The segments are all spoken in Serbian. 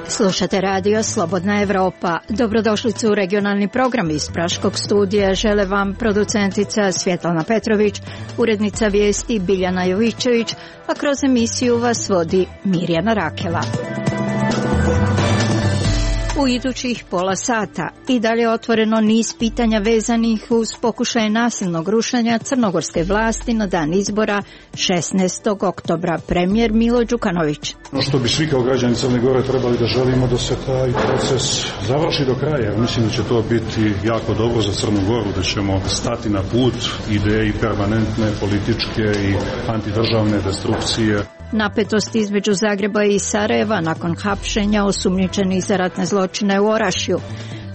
Slušate radio Slobodna Evropa. Dobrodošlicu u regionalni program iz Praškog studija. Žele vam producentica Svjetlana Petrović, urednica vijesti Biljana Jovićević, a kroz emisiju vas vodi Mirjana Rakela. U idućih pola sata i dalje otvoreno niz pitanja vezanih uz pokušaje nasilnog rušenja crnogorske vlasti na dan izbora 16. oktobra. Premijer Milo Đukanović. No što bi svi kao građani Crne Gore trebali da želimo da se taj proces završi do kraja. Mislim da će to biti jako dobro za Crnu Goru, da ćemo stati na put ideji permanentne političke i antidržavne destrukcije. Napetost između Zagreba i Sarajeva nakon hapšenja osumnjičenih za ratne zločine u Orašju.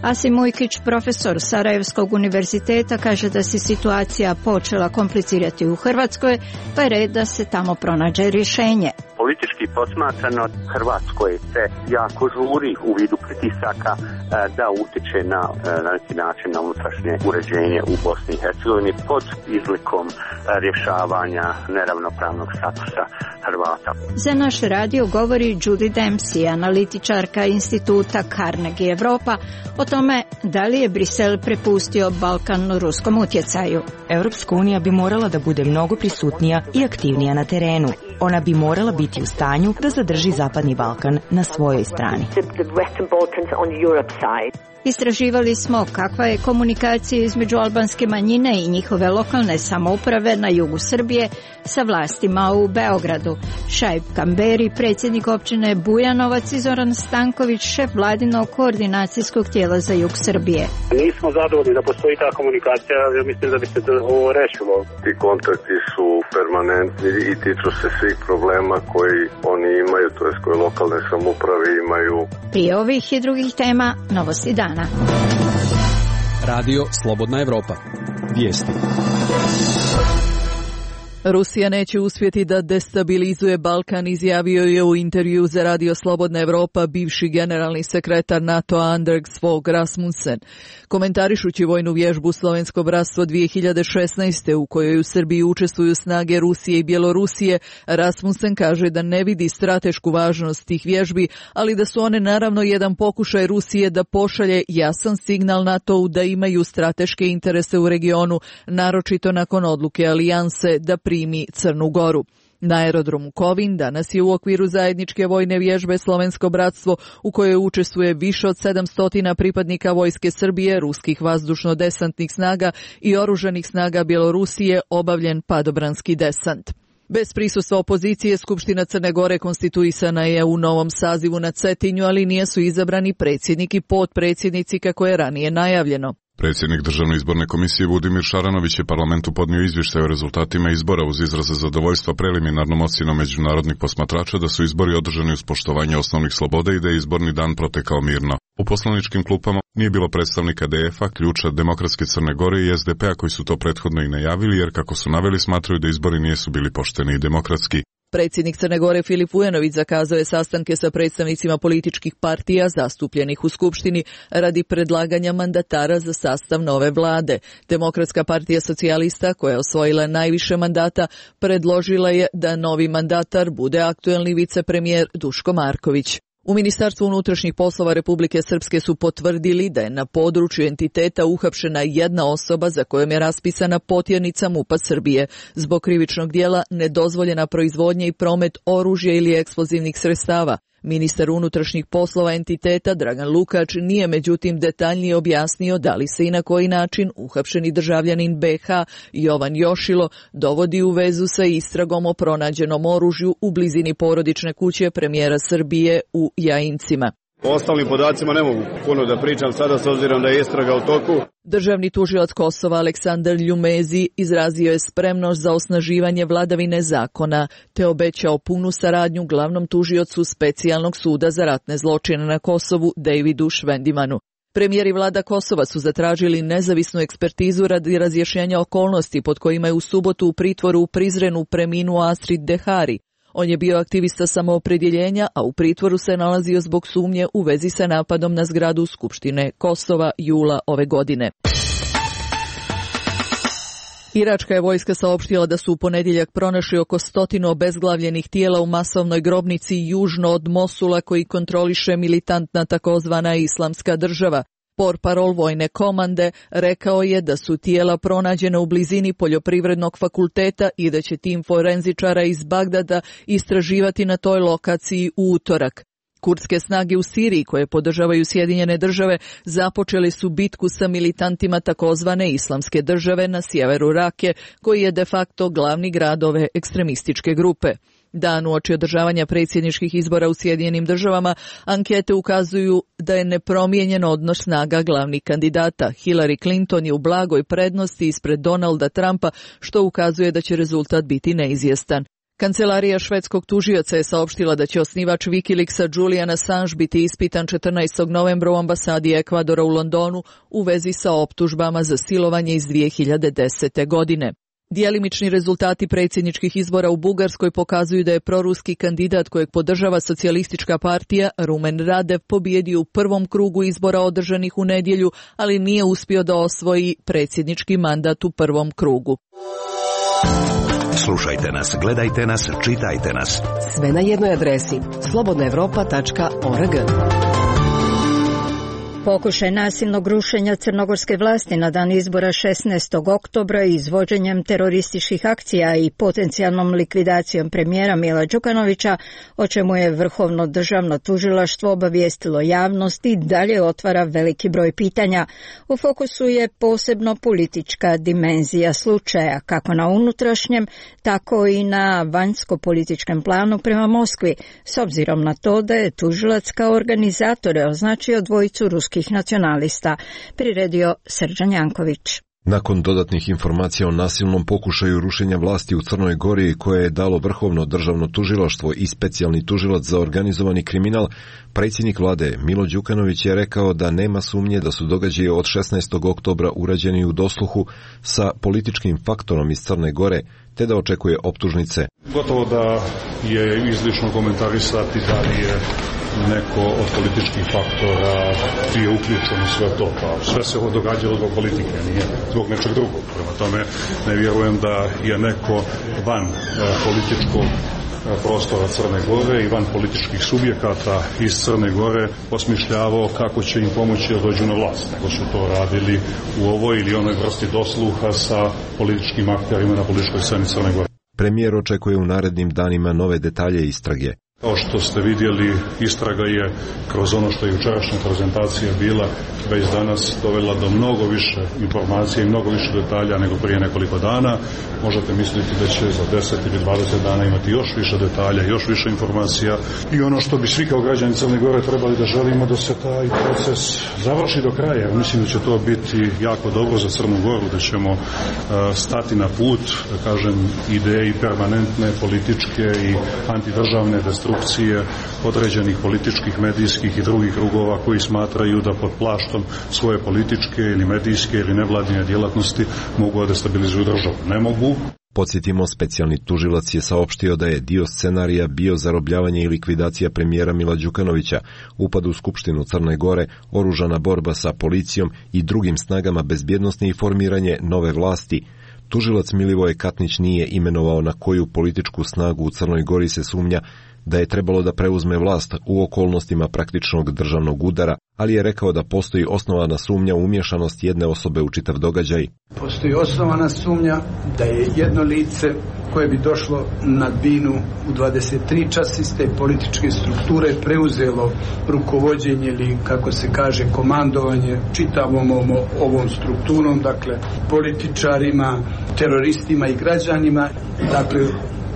Asim Ujkić, profesor Sarajevskog univerziteta, kaže da se situacija počela komplicirati u Hrvatskoj, pa je red da se tamo pronađe rješenje. Politički posmatrano, Hrvatskoj se jako žuri u vidu pritisaka da utiče na neki način na unutrašnje uređenje u Bosni i Hercegovini pod izlikom rješavanja neravnopravnog statusa Hrvata. Za naš radio govori Judy Dempsey, analitičarka instituta Carnegie Europa, o tome da li je Brisel prepustio Balkan ruskom utjecaju. Europska unija bi morala da bude mnogo prisutnija i aktivnija na terenu. Ona bi morala biti u stanju da zadrži Zapadni Balkan na svojoj strani. Istraživali smo kakva je komunikacija između albanske manjine i njihove lokalne samouprave na jugu Srbije sa vlastima u Beogradu. Šaip Kamberi, predsjednik općine Bujanovac, i Zoran Stanković, šef vladinog koordinacijskog tijela za jug Srbije. Nismo zadovoljni da postoji ta komunikacija, ja mislim da bi se ovo rešilo. Ti kontakti su permanentni i tiču se svih problema koji oni imaju, to jest koje lokalne samouprave imaju. Prije ovih i drugih tema, novosti dana. Radio Slobodna Evropa. Vijesti. Rusija neće uspjeti da destabilizuje Balkan, izjavio je u intervju za Radio Slobodna Evropa bivši generalni sekretar NATO-a Anders Fogh Rasmussen. Komentarišući vojnu vježbu Slovensko bratstvo 2016. u kojoj u Srbiji učestvuju snage Rusije i Bjelorusije, Rasmussen kaže da ne vidi stratešku važnost tih vježbi, ali da su one naravno jedan pokušaj Rusije da pošalje jasan signal NATO-u da imaju strateške interese u regionu, naročito nakon odluke alijanse da primi Crnu Goru. Na aerodromu Kovin danas je u okviru zajedničke vojne vježbe Slovensko bratstvo, u kojoj učestvuje više od 700 pripadnika vojske Srbije, ruskih vazdušno-desantnih snaga i oružanih snaga Bjelorusije, obavljen padobranski desant. Bez prisustva opozicije, Skupština Crne Gore konstituisana je u novom sazivu na Cetinju, ali nisu izabrani predsjednik i potpredsjednici kako je ranije najavljeno. Predsjednik Državne izborne komisije Budimir Šaranović je parlamentu podnio izvještaj o rezultatima izbora uz izraze zadovoljstva preliminarnom ocjenom međunarodnih posmatrača da su izbori održani uz poštovanje osnovnih sloboda i da je izborni dan protekao mirno. U poslaničkim klupama nije bilo predstavnika DF-a, Ključa, Demokratske Crne Gore i SDP-a koji su to prethodno i najavili, jer kako su naveli smatraju da izbori nisu bili pošteni i demokratski. Predsjednik Crne Gore Filip Vujanović zakazao je sastanke sa predstavnicima političkih partija zastupljenih u Skupštini radi predlaganja mandatara za sastav nove vlade. Demokratska partija socijalista, koja je osvojila najviše mandata, predložila je da novi mandatar bude aktuelni vicepremijer Duško Marković. U Ministarstvu unutrašnjih poslova Republike Srpske su potvrdili da je na području entiteta uhapšena jedna osoba za kojom je raspisana potjernica MUP-a Srbije zbog krivičnog djela nedozvoljena proizvodnja i promet oružja ili eksplozivnih sredstava. Ministar unutrašnjih poslova entiteta Dragan Lukač nije međutim detaljnije objasnio da li se i na koji način uhapšeni državljanin BiH Jovan Jošilo dovodi u vezu sa istragom o pronađenom oružju u blizini porodične kuće premijera Srbije u Jajincima. O ostalim podacima ne mogu puno da pričam sada s obzirom da je istraga u toku. Državni tužilac Kosova Aleksandar Ljumezi izrazio je spremnost za osnaživanje vladavine zakona te obećao punu saradnju glavnom tužiocu Specijalnog suda za ratne zločine na Kosovu Davidu Švendimanu. Premijer i vlada Kosova su zatražili nezavisnu ekspertizu radi razjašnjenja okolnosti pod kojima je u subotu u pritvoru u Prizrenu preminuo Astrid Dehari. On je bio aktivista samoopredjeljenja, a u pritvoru se nalazio zbog sumnje u vezi sa napadom na zgradu Skupštine Kosova jula ove godine. Iračka je vojska saopštila da su u ponedjeljak pronašli oko 100 obezglavljenih tijela u masovnoj grobnici južno od Mosula koji kontroliše militantna takozvana Islamska država. Portparol vojne komande rekao je da su tijela pronađena u blizini poljoprivrednog fakulteta i da će tim forenzičara iz Bagdada istraživati na toj lokaciji u utorak. Kurdske snage u Siriji, koje podržavaju Sjedinjene države, započeli su bitku sa militantima takozvane Islamske države na sjeveru Rake, koji je de facto glavni grad ove ekstremističke grupe. Dan uoči održavanja predsjedničkih izbora u Sjedinjenim državama, ankete ukazuju da je nepromijenjen odnos snaga glavnih kandidata. Hillary Clinton je u blagoj prednosti ispred Donalda Trumpa, što ukazuje da će rezultat biti neizvjestan. Kancelarija švedskog tužioca je saopštila da će osnivač Wikileaksa Julian Assange biti ispitan 14. novembra u ambasadi Ekvadora u Londonu u vezi sa optužbama za silovanje iz 2010. godine. Djelimični rezultati predsjedničkih izbora u Bugarskoj pokazuju da je proruski kandidat kojeg podržava socijalistička partija Rumen Radev pobijedio u prvom krugu izbora održanih u nedjelju, ali nije uspio da osvoji predsjednički mandat u prvom krugu. Slušajte nas, gledajte nas, čitajte nas. Sve na jednoj adresi slobodnaevropa.org. Pokušaj nasilnog rušenja crnogorske vlasti na dan izbora 16. oktobra izvođenjem terorističkih akcija i potencijalnom likvidacijom premijera Mila Đukanovića, o čemu je Vrhovno državno tužilaštvo obavijestilo javnost i dalje otvara veliki broj pitanja. U fokusu je posebno politička dimenzija slučaja, kako na unutrašnjem, tako i na vanjsko-političkem planu prema Moskvi, s obzirom na to da je tužilac kao organizatore označio dvojicu ruskih nacionalista, priredio Srđan Janković. Nakon dodatnih informacija o nasilnom pokušaju rušenja vlasti u Crnoj Gori koje je dalo Vrhovno državno tužilaštvo i specijalni tužilac za organizovani kriminal, predsjednik vlade Milo Đukanović je rekao da nema sumnje da su događaji od 16. oktobra urađeni u dosluhu sa političkim faktorom iz Crne Gore, te da očekuje optužnice. Gotovo da je izlično komentarisati da li je neko od političkih faktora bio uključen u sve to, pa sve se ovo događalo zbog politike, nije zbog nečeg drugog. Prema tome ne vjerujem da je neko van političkog prostora Crne Gore i van političkih subjekata iz Crne Gore osmišljavao kako će im pomoći da dođu na vlast, nego su to radili u ovoj ili onoj vrsti dosluha sa političkim akterima na političkoj sceni Crne Gore. Premijer očekuje u narednim danima nove detalje istrage. Kao što ste vidjeli, istraga je kroz ono što je jučerašnja prezentacija bila već danas dovela do mnogo više informacija i mnogo više detalja nego prije nekoliko dana. Možete misliti da će za 10 ili 20 dana imati još više detalja, još više informacija i ono što bi svi kao građani Crne Gore trebali da želimo da se taj proces završi do kraja. Mislim da će to biti jako dobro za Crnu Goru, da ćemo stati na put, da kažem, ideji permanentne, političke i antidržavne destrukcije određenih političkih, medijskih i drugih krugova koji smatraju da pod plaštom svoje političke ili medijske ili nevladine djelatnosti mogu da destabilizuju državu. Ne mogu. Podsjetimo, specijalni tužilac je saopštio da je dio scenarija bio zarobljavanje i likvidacija premijera Mila Đukanovića, upad u Skupštinu Crne Gore, oružana borba sa policijom i drugim snagama bezbjednosti i formiranje nove vlasti. Tužilac Milivoje Katnić nije imenovao na koju političku snagu u Crnoj Gori se sumnja da je trebalo da preuzme vlast u okolnostima praktičnog državnog udara, ali je rekao da postoji osnovana sumnja u umješanost jedne osobe u čitav događaj. Postoji osnovana sumnja da je jedno lice koje bi došlo na binu u 23 časa iz te političke strukture preuzelo rukovođenje ili, kako se kaže, komandovanje čitavom ovom strukturom, dakle političarima, teroristima i građanima, dakle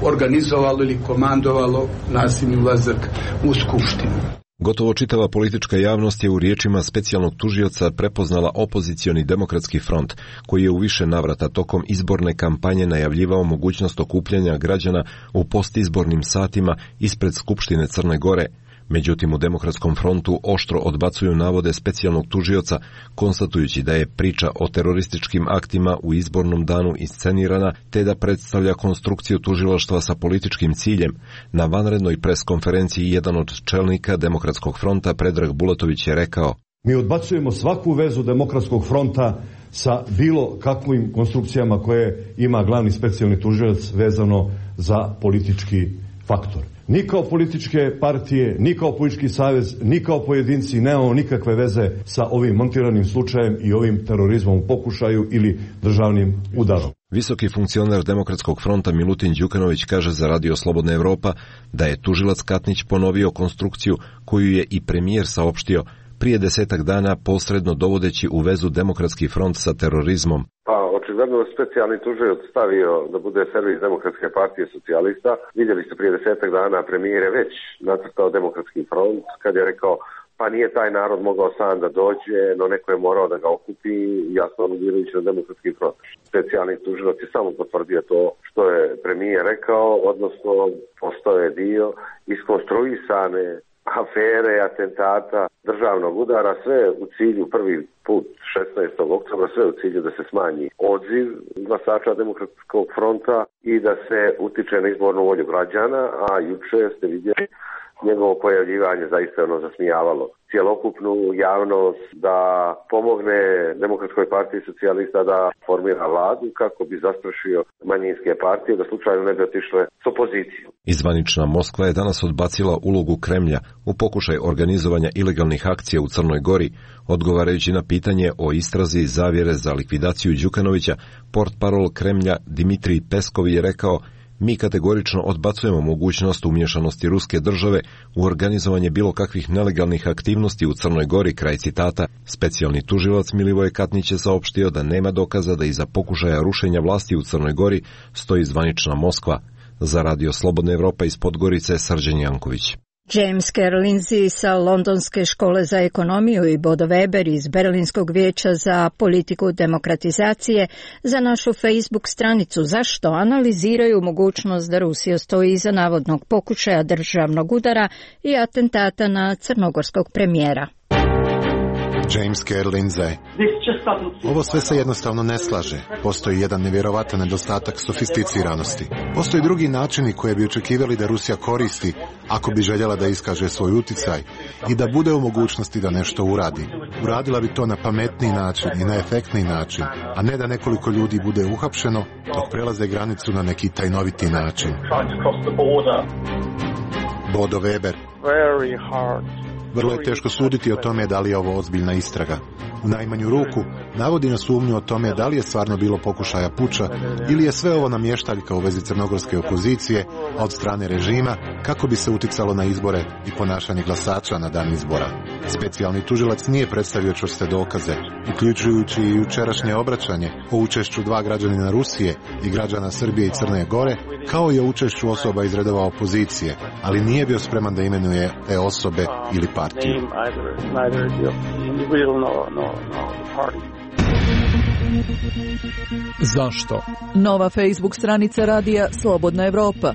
organizovalo ili komandovalo nasilni ulazak u Skupštinu. Gotovo čitava politička javnost je u riječima specijalnog tužioca prepoznala opozicioni demokratski front, koji je u više navrata tokom izborne kampanje najavljivao mogućnost okupljanja građana u postizbornim satima ispred Skupštine Crne Gore. Međutim, u Demokratskom frontu oštro odbacuju navode specijalnog tužioca, konstatujući da je priča o terorističkim aktima u izbornom danu iscenirana, te da predstavlja konstrukciju tužilaštva sa političkim ciljem. Na vanrednoj preskonferenciji jedan od čelnika Demokratskog fronta, Predrag Bulatović, je rekao: Mi odbacujemo svaku vezu Demokratskog fronta sa bilo kakvim konstrukcijama koje ima glavni specijalni tužilac vezano za politički faktor. Ni kao političke partije, ni kao politički savez, ni kao pojedinci nemamo nikakve veze sa ovim montiranim slučajem i ovim terorizmom u pokušaju ili državnim udarom. Visoki funkcioner Demokratskog fronta Milutin Đukanović kaže za Radio Slobodna Evropa da je tužilac Katnić ponovio konstrukciju koju je i premijer saopštio prije 10 dana, posredno dovodeći u vezu Demokratski front sa terorizmom. Pa očigledno specijalni tužilac stavio da bude servis Demokratske partije socijalista. Vidjeli ste prije 10 dana premijer je već nacrtao Demokratski front kad je rekao pa nije taj narod mogao sam da dođe, no neko je morao da ga okupi, jasno aludirujući na Demokratski front. Specijalni tužilac je samo potvrdio to što je premijer rekao, odnosno postao je dio iskonstruisane afere, atentata, državnog udara, sve u cilju prvi put 16. oktobra, sve u cilju da se smanji odziv glasača Demokratskog fronta i da se utiče na izbornu volju građana, a juče ste vidjeli njegovo pojavljivanje zaista je ono zasmijavalo cjelokupnu javnost da pomogne Demokratskoj partiji socijalista da formira vladu kako bi zastrašio manjinske partije da slučajno ne bi otišle s opozicijom. Zvanična Moskva je danas odbacila ulogu Kremlja u pokušaj organizovanja ilegalnih akcija u Crnoj Gori, odgovarajući na pitanje o istrazi zavjere za likvidaciju Đukanovića. Portparol Kremlja Dimitrij Peskov je rekao: mi kategorično odbacujemo mogućnost umješanosti ruske države u organizovanje bilo kakvih nelegalnih aktivnosti u Crnoj Gori, kraj citata. Specijalni tužilac Milivoje Katnić je saopštio da nema dokaza da iza pokušaja rušenja vlasti u Crnoj Gori stoji zvanična Moskva. Za Radio Slobodna Evropa iz Podgorice, Srđan Janković. James Carroll Lindsay sa Londonske škole za ekonomiju i Bodo Weber iz Berlinskog vijeća za politiku demokratizacije za našu Facebook stranicu Zašto analiziraju mogućnost da Rusija stoji iza navodnog pokušaja državnog udara i atentata na crnogorskog premijera. James Carroll Lindsay. Ovo sve se jednostavno ne slaže. Postoji jedan nevjerovatan nedostatak sofisticiranosti. Postoji drugi načini koje bi očekivali da Rusija koristi ako bi željela da iskaže svoj uticaj i da bude u mogućnosti da nešto uradi. Uradila bi to na pametniji način i na efektniji način, a ne da nekoliko ljudi bude uhapšeno dok prelaze granicu na neki tajnoviti način. Bodo Weber. Vrlo je teško suditi o tome da li je ovo ozbiljna istraga. U najmanju ruku navodi na sumnju o tome da li je stvarno bilo pokušaja puča ili je sve ovo namještaljka u vezi crnogorske opozicije, a od strane režima kako bi se uticalo na izbore i ponašanje glasača na dan izbora. Specijalni tužilac nije predstavio čvrste dokaze, uključujući i jučerašnje obraćanje o učešću 2 građanina Rusije i građana Srbije i Crne Gore, kao i o učešću osoba iz redova opozicije, ali nije bio spreman da imenuje te osobe ili partiju. Zašto? Nova Facebook stranica radija Slobodna Evropa.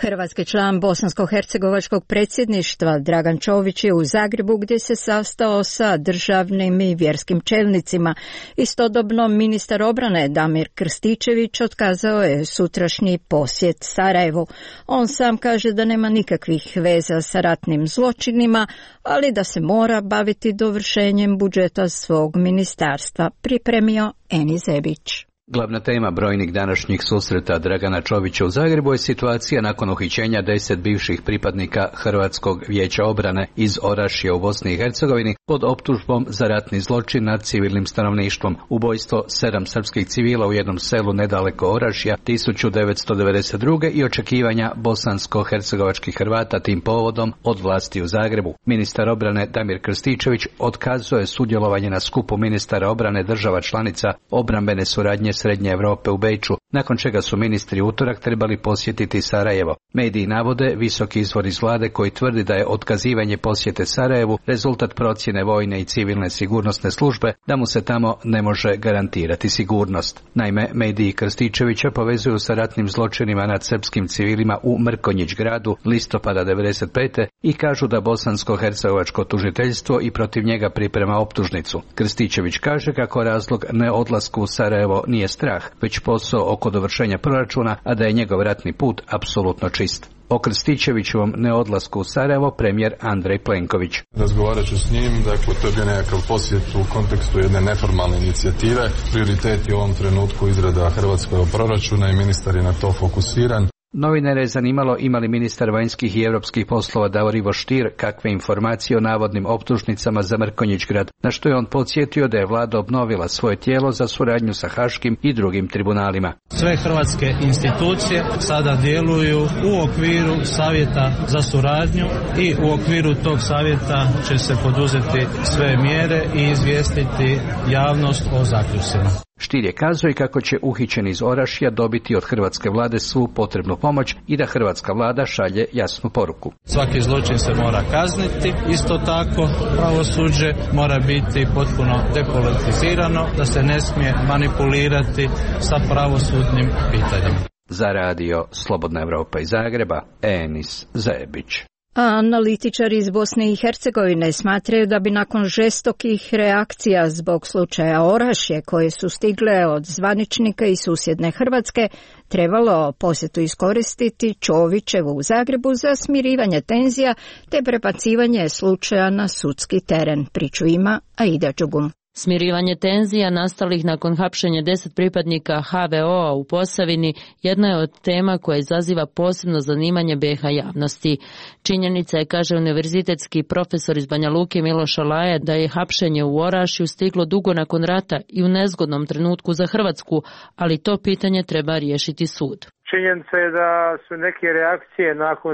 Hrvatski član bosansko-hercegovačkog predsjedništva Dragan Čović je u Zagrebu gdje se sastao sa državnim i vjerskim čelnicima. Istodobno ministar obrane Damir Krstičević otkazao je sutrašnji posjet Sarajevu. On sam kaže da nema nikakvih veza sa ratnim zločinima, ali da se mora baviti dovršenjem budžeta svog ministarstva, pripremio Eni Zebić. Glavna tema brojnih današnjih susreta Dragana Čovića u Zagrebu je situacija nakon uhićenja 10 bivših pripadnika Hrvatskog vijeća obrane iz Orašja u Bosni i Hercegovini pod optužbom za ratni zločin nad civilnim stanovništvom, ubojstvo 7 srpskih civila u jednom selu nedaleko Orašja 1992. i očekivanja bosansko-hercegovačkih Hrvata tim povodom od vlasti u Zagrebu. Ministar obrane Damir Krstičević otkazuje sudjelovanje na skupu ministara obrane država članica obrambene suradnje Srednje Europe u Beču, nakon čega su ministri utorak trebali posjetiti Sarajevo. Mediji navode visoki izvor iz vlade koji tvrdi da je otkazivanje posjete Sarajevu rezultat procjene vojne i civilne sigurnosne službe da mu se tamo ne može garantirati sigurnost. Naime, mediji Krstičevića povezuju sa ratnim zločinima nad srpskim civilima u Mrkonjić gradu listopada 1995. i kažu da bosansko-hercegovačko tužiteljstvo i protiv njega priprema optužnicu. Krstičević kaže kako razlog neodlasku u Sarajevo nije strah, već posao oko dovršenja proračuna, a da je njegov ratni put apsolutno čist. o Krstičevićevom neodlasku u Sarajevo premijer Andrej Plenković. Razgovarat ću s njim, dakle to je bio nekakav posjet u kontekstu jedne neformalne inicijative. Prioritet je u ovom trenutku izrada hrvatskog proračuna i ministar je na to fokusiran. Novinare je zanimalo ima li ministar vanjskih i europskih poslova Davor Ivo Stier kakve informacije o navodnim optužnicama za Mrkonjić-grad, na što je on podsjetio da je vlada obnovila svoje tijelo za suradnju sa haškim i drugim tribunalima. Sve hrvatske institucije sada djeluju u okviru savjeta za suradnju i u okviru tog savjeta će se poduzeti sve mjere i izvijestiti javnost o zaključcima. Stier je kazao i kako će uhićeni iz Orašja dobiti od hrvatske vlade svu potrebnu pomoć i da hrvatska vlada šalje jasnu poruku. Svaki zločin se mora kazniti, isto tako pravosuđe mora biti potpuno depolitizirano, da se ne smije manipulirati sa pravosudnim pitanjima. Za radio Slobodna Evropa iz Zagreba, Enis Zajebić. A analitičari iz Bosne i Hercegovine smatraju da bi nakon žestokih reakcija zbog slučaja Orašje koje su stigle od zvaničnika i susjedne Hrvatske, trebalo posjetu iskoristiti Čovićevu u Zagrebu za smirivanje tenzija te prebacivanje slučaja na sudski teren. Priču ima Aida Đugum. Smirivanje tenzija nastalih nakon hapšenja 10 pripadnika HVO-a u Posavini jedna je od tema koja izaziva posebno zanimanje BiH javnosti. Činjenica je, kaže univerzitetski profesor iz Banja Luke Miloš Alaja, da je hapšenje u Orašju stiglo dugo nakon rata i u nezgodnom trenutku za Hrvatsku, ali to pitanje treba riješiti sud. Činjenica je da su neke reakcije nakon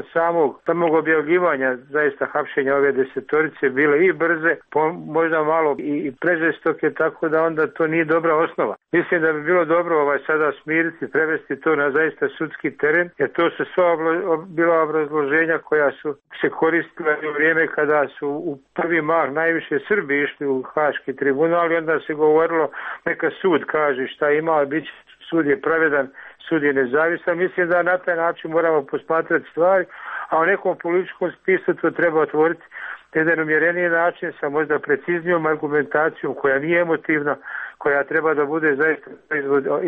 samog objavljivanja zaista hapšenja ove desetorice bile i brze, možda malo i prežestoke, tako da onda to nije dobra osnova. Mislim da bi bilo dobro sada smiriti, prevesti to na zaista sudski teren, jer to su sva bila obrazloženja koja su se koristila u vrijeme kada su u prvi mah najviše Srbi išli u Haški tribunal i onda se govorilo neka sud kaže šta ima, bit će, sud je pravedan, sud je nezavisan. Mislim da na taj način moramo posmatrati stvari, a u nekom političkom spisku to treba otvoriti na jedan umjereniji način sa možda preciznijom argumentacijom koja nije emotivna, koja treba da bude zaista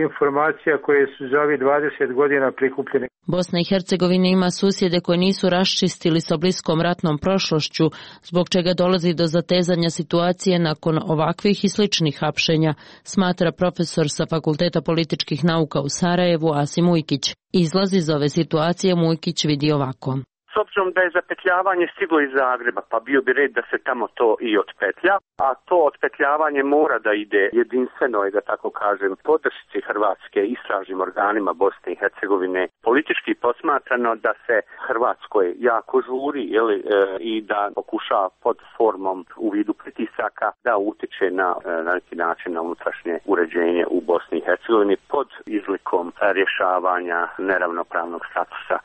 informacija koje su za ovih 20 godina prikupljene. Bosna i Hercegovina ima susjede koje nisu raščistili sa bliskom ratnom prošlošću, zbog čega dolazi do zatezanja situacije nakon ovakvih i sličnih hapšenja, smatra profesor sa Fakulteta političkih nauka u Sarajevu Asim Ujkić. Izlaz iz ove situacije Mujkić vidi ovako. S obzirom da je zapetljavanje stiglo iz Zagreba, pa bio bi red da se tamo to i otpetlja, a to otpetljavanje mora da ide jedinstveno, da tako kažem, podršci Hrvatske istražnim organima Bosne i Hercegovine. Politički posmatrano da se Hrvatskoj jako žuri i da pokuša pod formom u vidu pritisaka da utiče na neki način na unutrašnje uređenje u Bosni i Hercegovini pod izlikom rješavanja neravnopravnog statusa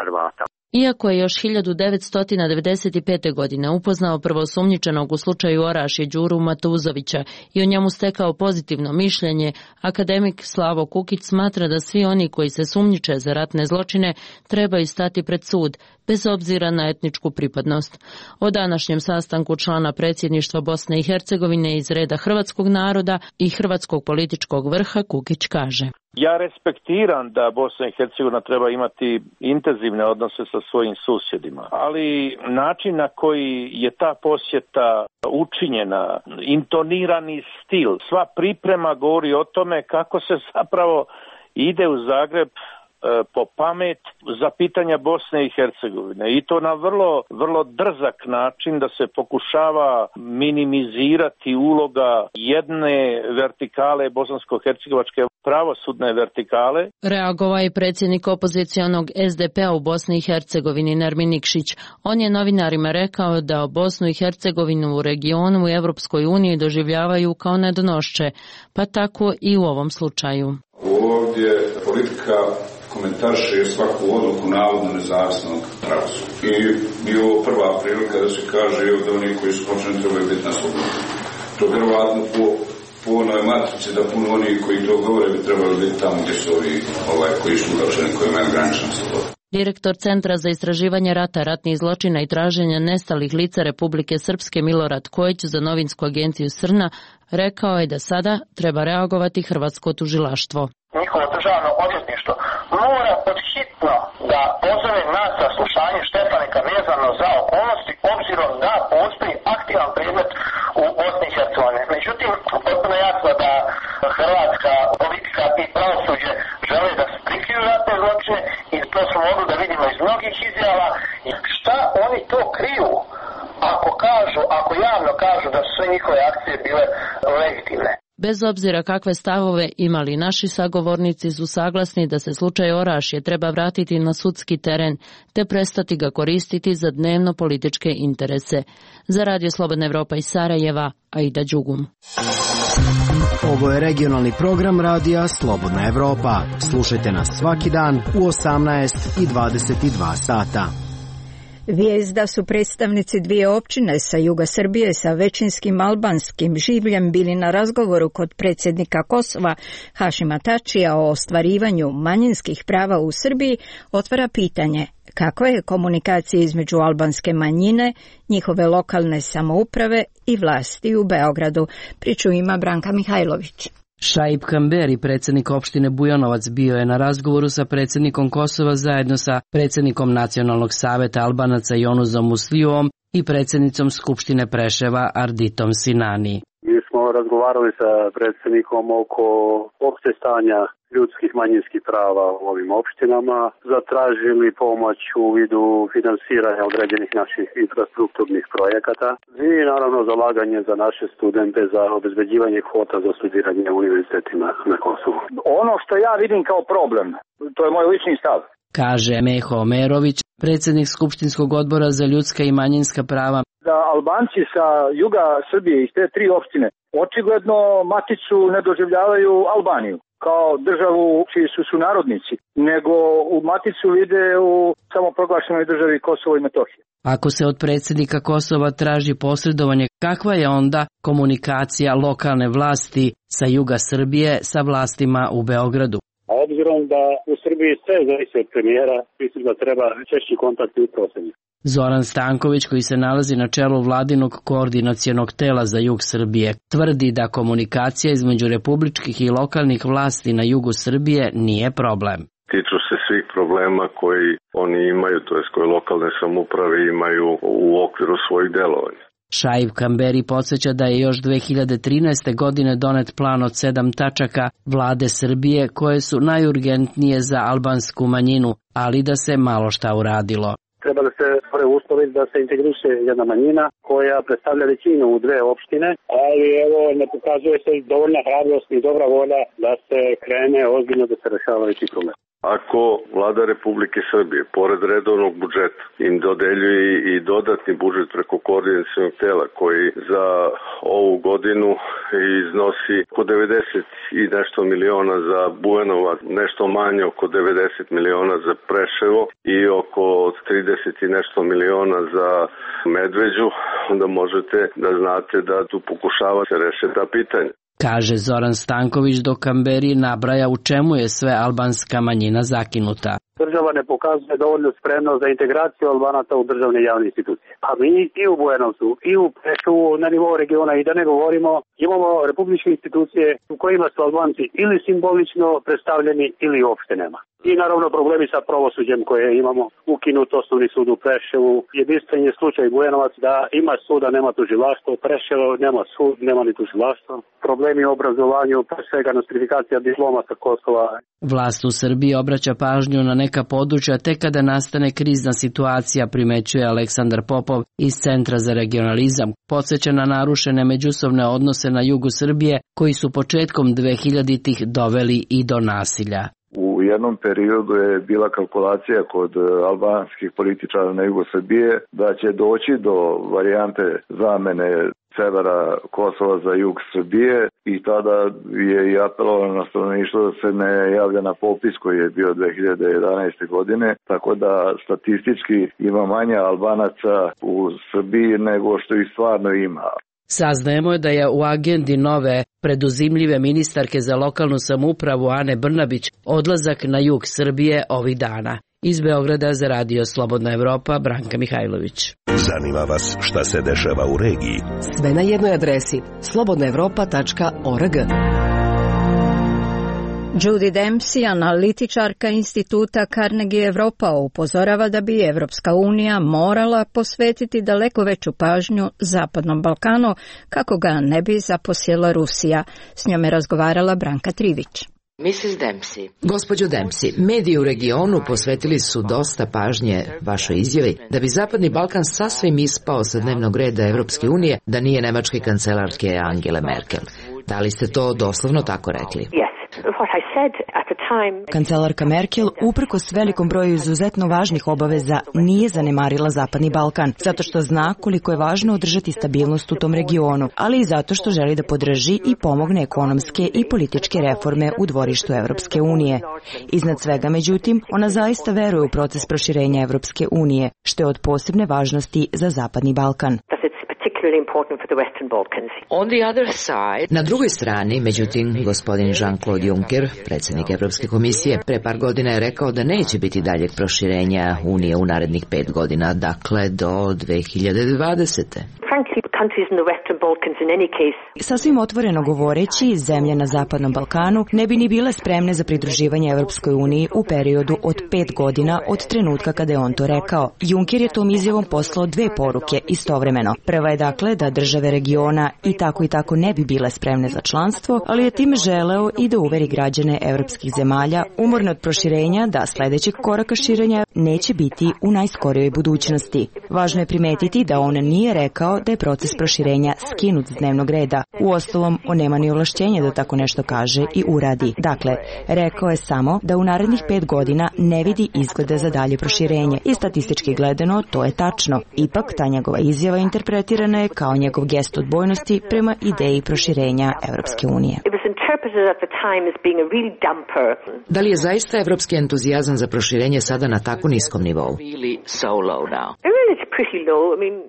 Hrvata. Iako je još 1995. godine upoznao prvosumnjičenog u slučaju Orašje Đuru Matuzovića i o njemu stekao pozitivno mišljenje, akademik Slavo Kukić smatra da svi oni koji se sumnjiče za ratne zločine trebaju stati pred sud, bez obzira na etničku pripadnost. O današnjem sastanku člana predsjedništva Bosne i Hercegovine iz reda hrvatskog naroda i hrvatskog političkog vrha Kukić kaže: Ja respektiram da Bosna i Hercegovina treba imati intenzivne odnose sa svojim susjedima, ali način na koji je ta posjeta učinjena, intonirani stil, sva priprema govori o tome kako se zapravo ide u Zagreb po pamet za pitanja Bosne i Hercegovine i to na vrlo drzak način da se pokušava minimizirati uloga jedne vertikale bosansko-hercegovačke pravosudne vertikale. Reagovao je predsjednik opozicionog SDP-a u Bosni i Hercegovini Nermin Nikšić. On je novinarima rekao da Bosnu i Hercegovinu u regionu u Evropskoj uniji doživljavaju kao nedonošće, pa tako i u ovom slučaju. Ovdje politika komentarše svaku odluku navodno nezavisnog pravosuđa. I bio ovo prva prilika da se kaže da oni koji su počeli trebaju biti na slobodi. To je vjerovatno po onoj matrici da puno oni koji to govore bi trebali biti tamo gdje su ovi koji su uhapšeni, koji imaju ograničenu slobodu. Direktor Centra za istraživanje rata, ratnih zločina i traženja nestalih lica Republike Srpske Milorad Kojić za novinsku agenciju Srna rekao je da sada treba reagovati hrvatsko tužilaštvo. njihovo državno odvjetništvo mora podhitno da pozove na saslušanje Štefanika vezano za okolnosti, obzirom da postoji aktivan predmet u Bosni i Hercegovini. Međutim, potpuno jasno da hrvatska politika i pravosuđe žele da prikriju ratne zločine i to smo mogli da vidimo iz mnogih izjava. Šta oni to kriju ako javno kažu da su sve njihove akcije bile legitimne? Bez obzira kakve stavove imali naši sagovornici su saglasni da se slučaj Orašje treba vratiti na sudski teren te prestati ga koristiti za dnevno političke interese. Za Radio Slobodna Evropa iz Sarajeva, Aida Đugum. Ovo je regionalni program Radija Slobodna Evropa. Slušajte nas svaki dan u 18 i 22 sata. Vijest da su predstavnici dvije općine sa juga Srbije sa većinskim albanskim življem bili na razgovoru kod predsjednika Kosova Hašima Tačija o ostvarivanju manjinskih prava u Srbiji otvara pitanje kakva je komunikacija između albanske manjine, njihove lokalne samouprave i vlasti u Beogradu. Priču ima Branka Mihajlović. Šaip Kamberi, predsjednik opštine Bujanovac, bio je na razgovoru sa predsjednikom Kosova zajedno sa predsjednikom Nacionalnog saveta Albanaca Jonuzom Muslijovom i predsjednicom Skupštine Preševa Arditom Sinani. Mi smo razgovarali sa predsjednikom oko opšte stanja ljudskih manjinskih prava u ovim opštinama, zatražili pomoć u vidu finansiranja određenih naših infrastrukturnih projekata i naravno zalaganje za naše studente za obezbeđivanje kvota za studiranje u univerzitetima na Kosovu. Ono što ja vidim kao problem, to je moj lični stav, kaže Meho Omerović, predsjednik Skupštinskog odbora za ljudska i manjinska prava. Da Albanci sa juga Srbije iz te tri opštine očigledno maticu ne doživljavaju Albaniju kao državu čiji su sunarodnici, nego u maticu vide u samoproglašenoj državi Kosovo i Metohije. Ako se od predsjednika Kosova traži posredovanje, kakva je onda komunikacija lokalne vlasti sa juga Srbije sa vlastima u Beogradu? A obzirom da u Srbiji sve zavisi od premijera, mislim da treba češći kontakti u prosenju. Zoran Stanković, koji se nalazi na čelu vladinog koordinacionog tela za jug Srbije, tvrdi da komunikacija između republičkih i lokalnih vlasti na jugu Srbije nije problem. Tiču se svih problema koji oni imaju, to jest koje lokalne samouprave imaju u okviru svojih delovanja. Šaip Kamberi podsjeća da je još 2013. godine donet plan od 7 tačaka vlade Srbije koje su najurgentnije za albansku manjinu, ali da se malo šta uradilo. Treba da se stvore uslovi da se integriše jedna manjina koja predstavlja većinu u dve opštine, ali evo ne pokazuje se dovoljna hrabrost i dobra volja da se krene ozbiljno da se rešavaju ti problemi. Ako vlada Republike Srbije, pored redovnog budžeta, im dodeljuje i dodatni budžet preko koordinacionog tela koji za ovu godinu iznosi oko 90 i nešto miliona za Bujanovac, nešto manje oko 90 miliona za Preševo i oko 30 i nešto miliona za Medveđu, onda možete da znate da tu pokušava se rešiti ta pitanja. Kaže Zoran Stanković, dok Kamberi nabraja u čemu je sve albanska manjina zakinuta. Država ne pokazuje dovoljno spremnost za integraciju Albanaca u državne javne institucije. A mi i u Bujanovcu, i u Preševu na nivou regiona, i da ne govorimo, imamo republičke institucije u kojima su Albanci ili simbolično predstavljeni ili uopšte nema. I naravno problemi sa pravosuđem koje imamo, ukinut osnovni sud u Preševu, jedinstven je slučaj Bujanovac da ima suda, nema tužilaštvo, Preševo nema sud, nema ni tužilaštvo. Problemi u obrazovanju, pre svega nostrifikacija diploma sa Kosova. Vlast u Srbiji obraća pažnju na neka područja tek kada nastane krizna situacija, primećuje Aleksandar Popov iz Centra za regionalizam. Podsjeća na narušene međusobne odnose na jugu Srbije koji su početkom 2000-ih doveli i do nasilja. U jednom periodu je bila kalkulacija kod albanskih političara na jugu Srbije da će doći do varijante zamene severa Kosova za jug Srbije i tada je i apelovano na stanovništvo da se ne javlja na popis koji je bio 2011. godine, tako da statistički ima manje Albanaca u Srbiji nego što ih stvarno ima. Saznajemo da je u agendi nove preduzimljive ministarke za lokalnu samoupravu Ane Brnabić odlazak na jug Srbije ovih dana. Iz Beograda za Radio Slobodna Evropa, Branka Mihajlović. Zanima vas šta se dešava u regiji? Sve na jednoj adresi slobodnaevropa.org. Judy Dempsey, analitičarka instituta Carnegie Europa, upozorava da bi Evropska unija morala posvetiti daleko veću pažnju Zapadnom Balkanu kako ga ne bi zaposjela Rusija. S njom je razgovarala Branka Trivić. Mrs. Dempsey. Gospođo Dempsey, mediji u regionu posvetili su dosta pažnje vašoj izjavi da bi Zapadni Balkan sasvim ispao sa dnevnog reda Evropske unije da nije nemačke kancelarke Angele Merkel. Da li ste to doslovno tako rekli? Kancelarka Merkel, uprkos velikom broju izuzetno važnih obaveza, nije zanemarila Zapadni Balkan, zato što zna koliko je važno održati stabilnost u tom regionu, ali i zato što želi da podrži i pomogne ekonomske i političke reforme u dvorištu Evropske unije. Iznad svega, međutim, ona zaista veruje u proces proširenja Evropske unije, što je od posebne važnosti za Zapadni Balkan. Na drugoj strani, međutim, gospodin Jean-Claude Juncker, predsjednik Evropske komisije, pre par godina je rekao da neće biti daljeg proširenja Unije u narednih 5 godina, dakle do 2020. Sasvim otvoreno govoreći, zemlje na Zapadnom Balkanu ne bi ni bile spremne za pridruživanje Evropskoj uniji u periodu od 5 godina od trenutka kada je on to rekao. Juncker je tom izjavom poslao 2 poruke istovremeno. Prva je dakle da države regiona i tako ne bi bile spremne za članstvo, ali je time želeo i da uveri građane evropskih zemalja umorne od proširenja da sljedećeg koraka širenja neće biti u najskorijoj budućnosti. Važno je primetiti da on nije rekao da je proces proširenja skinut s dnevnog reda. Uostalom, on nema ni ovlašćenja da tako nešto kaže i uradi. Dakle, rekao je samo da u narednih 5 godina ne vidi izglede za dalje proširenje i statistički gledano to je tačno. Ipak, ta njegova izjava interpretirana je kao njegov gest odbojnosti prema ideji proširenja Evropske unije. Da li je zaista evropski entuzijazam za proširenje sada na tako niskom nivou?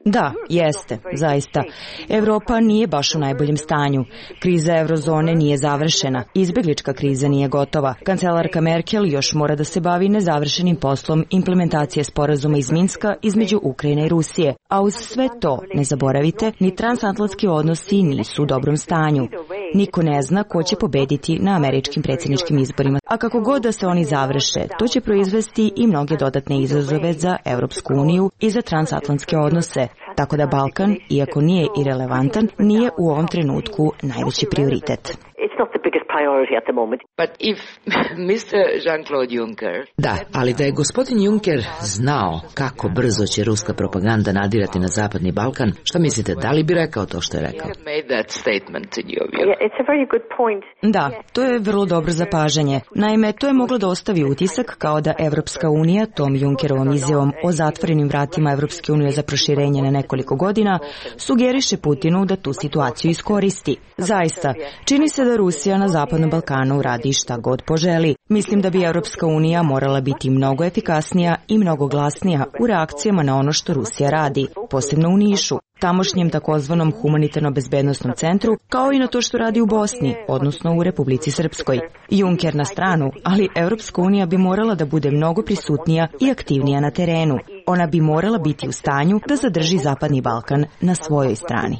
Da, jeste, zaista. Evropa nije baš u najboljem stanju. Kriza eurozone nije završena. Izbjeglička kriza nije gotova. Kancelarka Merkel još mora da se bavi nezavršenim poslom implementacije sporazuma iz Minska između Ukrajine i Rusije. A uz sve to, ne zaboravite, ni transatlantski odnosi nisu u dobrom stanju. Niko ne zna ko će pobediti na američkim predsjedničkim izborima. A kako god da se oni završe, to će proizvesti i mnoge dodatne izazove za Evropsku uniju i za transatlantske odnose. Tako da Balkan, iako nije irelevantan, nije u ovom trenutku najveći prioritet. Da, ali da je gospodin Juncker znao kako brzo će ruska propaganda nadirati na Zapadni Balkan, što mislite, da li bi rekao to što je rekao? Da, to je vrlo dobro zapažanje. Naime, to je moglo da ostavi utisak kao da Evropska unija tom Junckerovom izjavom o zatvorenim vratima Evropske unije za proširenje na nekoliko godina sugeriše Putinu da tu situaciju iskoristi. Zaista, čini se da Rusija na Zapadnom Balkanu radi šta god poželi. Mislim da bi Evropska unija morala biti mnogo efikasnija i mnogo glasnija u reakcijama na ono što Rusija radi, posebno u Nišu, tamošnjem takozvanom humanitarno-bezbednosnom centru, kao i na to što radi u Bosni, odnosno u Republici Srpskoj. Juncker na stranu, ali Evropska unija bi morala da bude mnogo prisutnija i aktivnija na terenu. Ona bi morala biti u stanju da zadrži Zapadni Balkan na svojoj strani.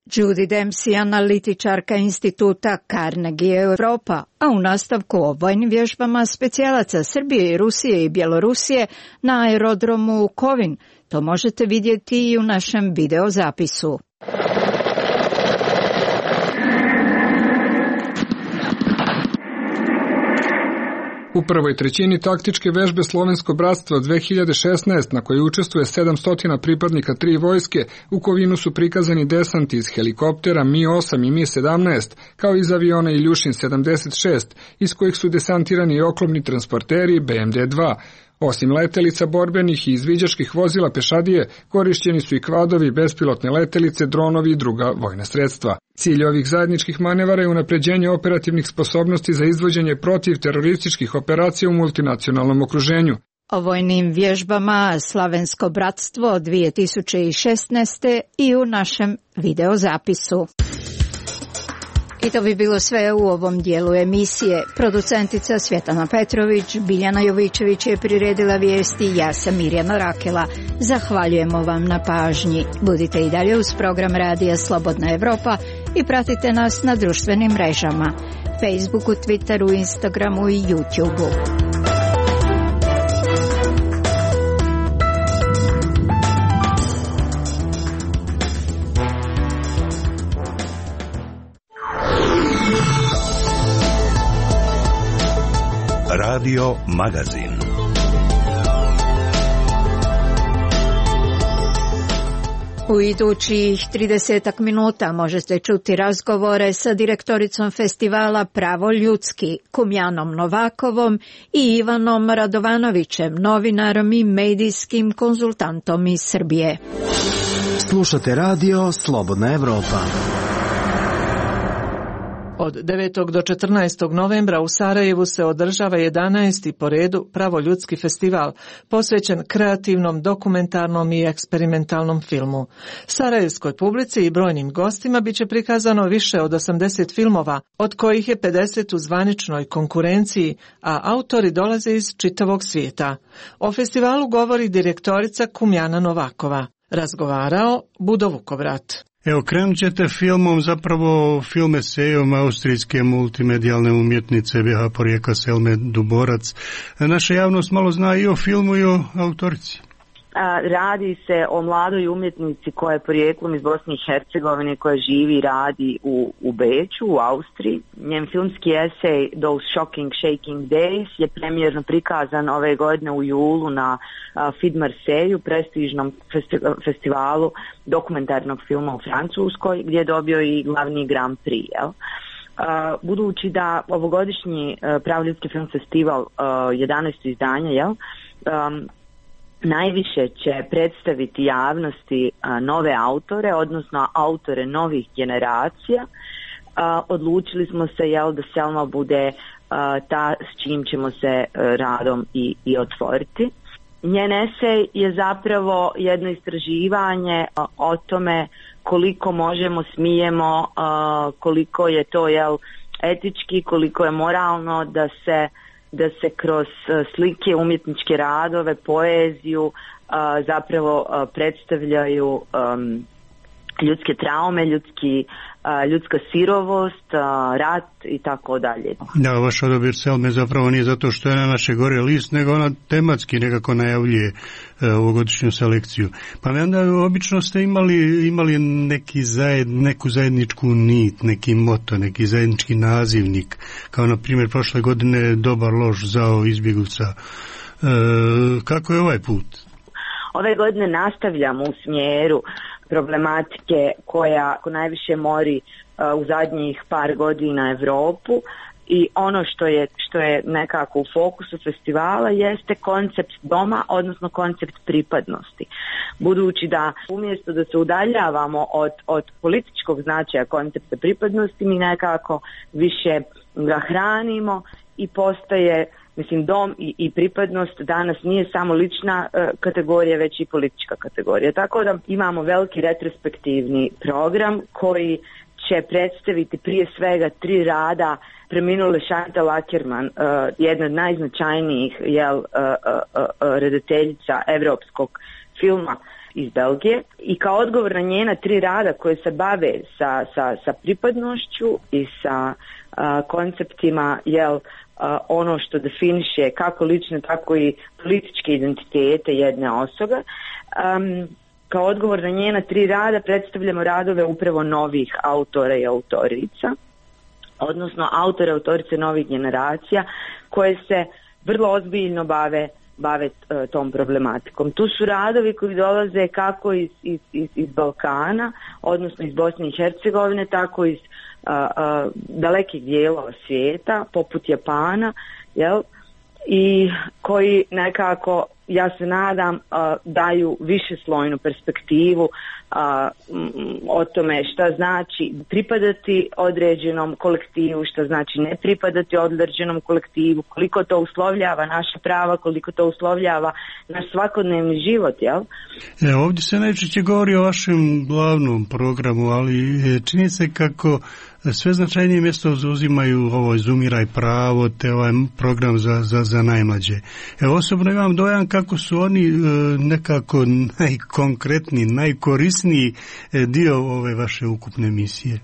Judy Dempsey, analitičarka instituta Carnegie Europa, a u nastavku o vojnim vježbama specijalaca Srbije, Rusije i Bjelorusije na aerodromu Kovin. To možete vidjeti i u našem videozapisu. U prvoj trećini taktičke vežbe Slovensko bratstvo 2016, na kojoj učestvuje 700 pripadnika 3 vojske, u Kovinu su prikazani desanti iz helikoptera Mi-8 i Mi-17, kao iz aviona Iljušin 76, iz kojih su desantirani i oklopni transporteri BMD-2. Osim letelica borbenih i izviđačkih vozila pešadije, korišćeni su i kvadovi, bespilotne letelice, dronovi i druga vojna sredstva. Cilj ovih zajedničkih manevara je unapređenje operativnih sposobnosti za izvođenje protiv terorističkih operacija u multinacionalnom okruženju. O vojnim vježbama Slavensko bratstvo 2016. i u našem videozapisu. I to bi bilo sve u ovom dijelu emisije. Producentica Svjetlana Petrović, Biljana Jovičević je priredila vijesti, ja sam Mirjana Rakela. Zahvaljujemo vam na pažnji. Budite i dalje uz program Radija Slobodna Evropa i pratite nas na društvenim mrežama Facebooku, Twitteru, Instagramu i YouTubeu. Radio Magazin. U idućih 30 minuta možete čuti razgovore sa direktoricom festivala Pravo ljudski, Kumjanom Novakovom i Ivanom Radovanovićem, novinarom i medijskim konzultantom iz Srbije. Slušate radio Slobodna Evropa. Od 9. do 14. novembra u Sarajevu se održava 11. po redu Pravoljudski festival, posvećen kreativnom, dokumentarnom i eksperimentalnom filmu. Sarajevskoj publici i brojnim gostima biće prikazano više od 80 filmova, od kojih je 50 u zvaničnoj konkurenciji, a autori dolaze iz čitavog svijeta. O festivalu govori direktorica Kumjana Novakova. Razgovarao Budo Vukovrat. Evo, krenut ćete filmom, zapravo film esejom austrijske multimedijalne umjetnice BH porijekla Selme Duborac. Naša javnost malo zna i o filmu i o autorici. Radi se o mladoj umjetnici koja je porijeklom iz Bosne i Hercegovine, koja živi i radi u Beču, u Austriji. Njen filmski esej Those Shocking Shaking Days je premijerno prikazan ove godine u julu na Film Marseille, prestižnom festivalu dokumentarnog filma u Francuskoj, gdje je dobio i glavni Grand Prix. Budući da ovogodišnji Pravoljudski film festival 11. izdanja, najviše će predstaviti javnosti nove autore, odnosno autore novih generacija. Odlučili smo se da Selma bude ta s čim ćemo se radom i otvoriti. Njen esej je zapravo jedno istraživanje o tome koliko možemo, smijemo, koliko je to etički, koliko je moralno da se kroz slike, umjetničke radove, poeziju zapravo predstavljaju ljudske traume, ljudska sirovost, rat i tako dalje. Da, vaš odabir Selme zapravo nije zato što je na naše gore list, nego ona tematski nekako najavljuje ovogodišnju selekciju. Pa onda obično ste imali neku zajedničku nit, neki moto, neki zajednički nazivnik, kao na primjer prošle godine Dobar, loš, zao, izbjeglica. Kako je ovaj put? Ove godine nastavljamo u smjeru problematike koja najviše mori u zadnjih par godina Evropu, i ono što je nekako u fokusu festivala jeste koncept doma, odnosno koncept pripadnosti. Budući da umjesto da se udaljavamo od političkog značaja koncepta pripadnosti, mi nekako više ga hranimo i postaje, dom i pripadnost danas nije samo lična kategorija, već i politička kategorija. Tako da imamo veliki retrospektivni program koji će predstaviti prije svega 3 rada preminule Chantal Akerman, jedna od najznačajnijih redateljica evropskog filma iz Belgije, i kao odgovor na njena 3 rada koje se bave sa pripadnošću i sa konceptima ono što definiše kako lične, tako i političke identitete jedne osobe. Kao odgovor na njena 3 rada predstavljamo radove upravo novih autora i autorica, odnosno autora i autorice novih generacija koje se vrlo ozbiljno bave tom problematikom. Tu su radovi koji dolaze kako iz Balkana, odnosno iz Bosne i Hercegovine, tako iz dalekih dijelova svijeta, poput Japana, i koji nekako, ja se nadam, daju višeslojnu perspektivu o tome šta znači pripadati određenom kolektivu, šta znači ne pripadati određenom kolektivu, koliko to uslovljava naša prava, koliko to uslovljava naš svakodnevni život, Ovdje se najčešće govori o vašem glavnom programu, ali čini se kako sve značajnije mjesto zauzimaju ovo Izumiraj pravo, te ovaj program za najmlađe. Osobno imam dojam kako su oni nekako najkonkretniji, najkorisniji dio ove vaše ukupne misije.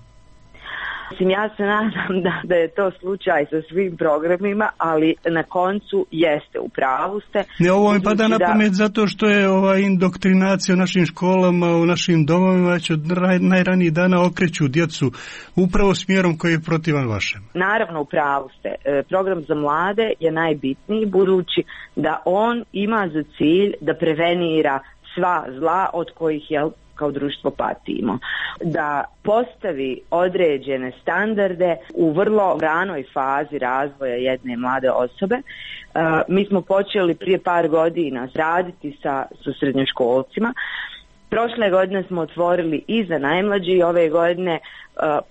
Mislim, ja se nadam da je to slučaj sa svim programima, ali na koncu jeste, u pravu ste. Ne, ovo mi pada na pamet zato što je ova indoktrinacija u našim školama, u našim domovima već od najranijih dana okreću djecu upravo smjerom koji je protivan vašem. Naravno, u pravu ste. Program za mlade je najbitniji, budući da on ima za cilj da prevenira sva zla od kojih kao društvo patimo. Da postavi određene standarde u vrlo ranoj fazi razvoja jedne mlade osobe. Mi smo počeli prije par godina raditi sa srednjoškolcima. Prošle godine smo otvorili i za najmlađe i ove godine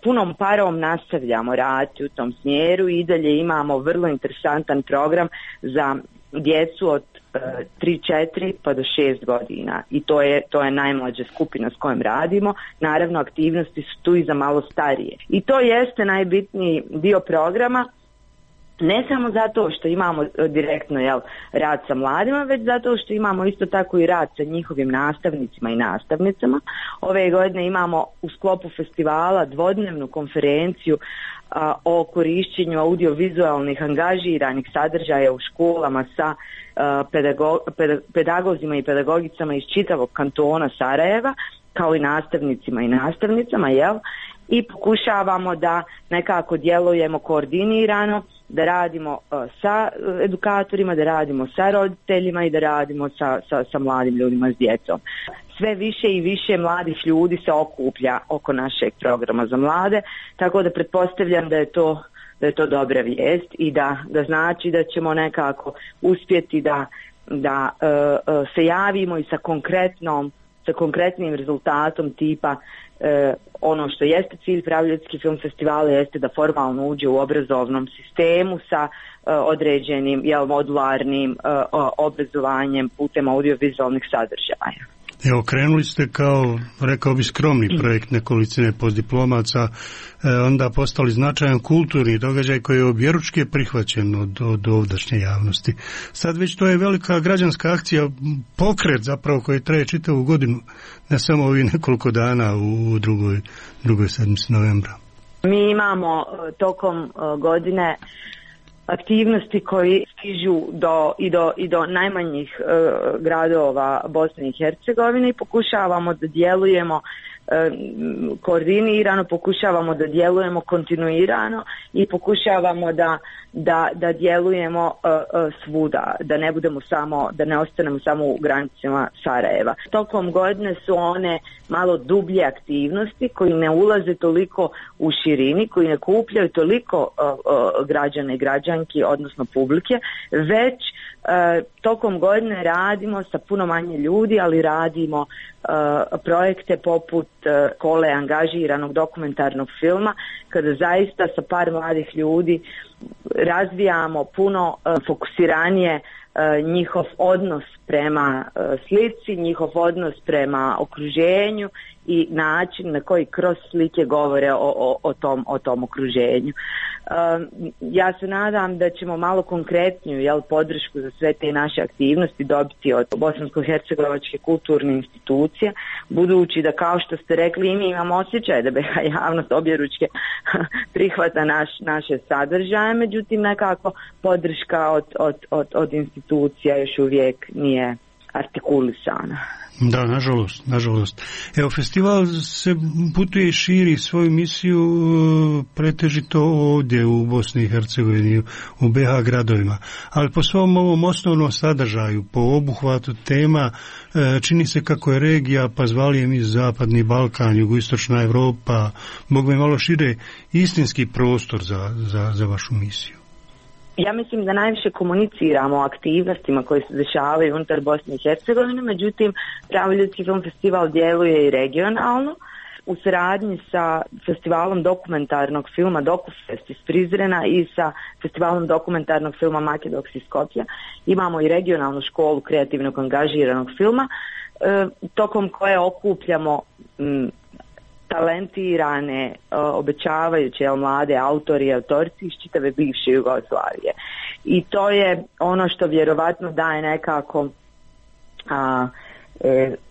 punom parom nastavljamo raditi u tom smjeru i dalje imamo vrlo interesantan program za djecu od 3-4 pa do 6 godina i to je najmlađa skupina s kojom radimo. Naravno, aktivnosti su tu i za malo starije. I to jeste najbitniji dio programa, ne samo zato što imamo direktno rad sa mladima, već zato što imamo isto tako i rad sa njihovim nastavnicima i nastavnicama. Ove godine imamo u sklopu festivala dvodnevnu konferenciju o korišćenju audiovizualnih angažiranih sadržaja u školama sa pedagozima i pedagogicama iz čitavog kantona Sarajeva, kao i nastavnicima i nastavnicama, i pokušavamo da nekako djelujemo koordinirano, da radimo sa edukatorima, da radimo sa roditeljima i da radimo sa mladim ljudima, s djecom. Sve više i više mladih ljudi se okuplja oko našeg programa za mlade, tako da pretpostavljam da je to dobra vijest i da znači da ćemo nekako uspjeti da se javimo i sa konkretnim rezultatom tipa ono što jeste cilj Pravljički film festivala jeste da formalno uđe u obrazovnom sistemu sa određenim modularnim obrazovanjem putem audiovizualnih sadržaja. Evo, krenuli ste kao, rekao bi, skromni projekt nekolicine postdiplomaca, onda postali značajan kulturni događaj koji je objeručki prihvaćen od ovdašnje javnosti. Sad već to je velika građanska akcija, pokret zapravo koji traje čitavu godinu, ne samo ovih nekoliko dana u drugoj sedmici novembra. Mi imamo tokom godine aktivnosti koji stižu do najmanjih gradova Bosne i Hercegovine i pokušavamo da djelujemo koordinirano, pokušavamo da djelujemo kontinuirano i pokušavamo da djelujemo svuda, da ne ostanemo samo u granicama Sarajeva. Tokom godine su one malo dublje aktivnosti koji ne ulaze toliko u širini, koji ne kupljaju toliko građane i građanki, odnosno publike, već tokom godine radimo sa puno manje ljudi, ali radimo projekte poput škole angažiranog dokumentarnog filma, kada zaista sa par mladih ljudi razvijamo puno fokusiranije njihov odnos prema slici, njihov odnos prema okruženju i način na koji kroz slike govore o tom okruženju. Ja se nadam da ćemo malo konkretniju podršku za sve te naše aktivnosti dobiti od Bosansko-hercegovačke kulturne institucije, budući da, kao što ste rekli, i mi imamo osjećaj da BiH javnost objeručke prihvata naše sadržaje, međutim nekako podrška od institucija još uvijek nije artikulisana. Da, nažalost. Evo, festival se putuje i širi svoju misiju pretežito ovdje u Bosni i Hercegovini, u BiH gradovima, ali po svom ovom osnovnom sadržaju, po obuhvatu tema, čini se kako je regija, pa zvali mi Zapadni Balkan, Jugoistočna Evropa, mogu mi malo šire, istinski prostor za vašu misiju. Ja mislim da najviše komuniciramo o aktivnostima koje se dešavaju unutar Bosne i Hercegovine, međutim Pravljički film festival djeluje i regionalno. U saradnji sa festivalom dokumentarnog filma Dokufest iz Prizrena i sa festivalom dokumentarnog filma Makedoks iz Skopja imamo i regionalnu školu kreativnog angažiranog filma, tokom koje okupljamo talentirane, obećavajuće mlade autori i autorici iz čitave bivše Jugoslavije. I to je ono što vjerovatno daje nekako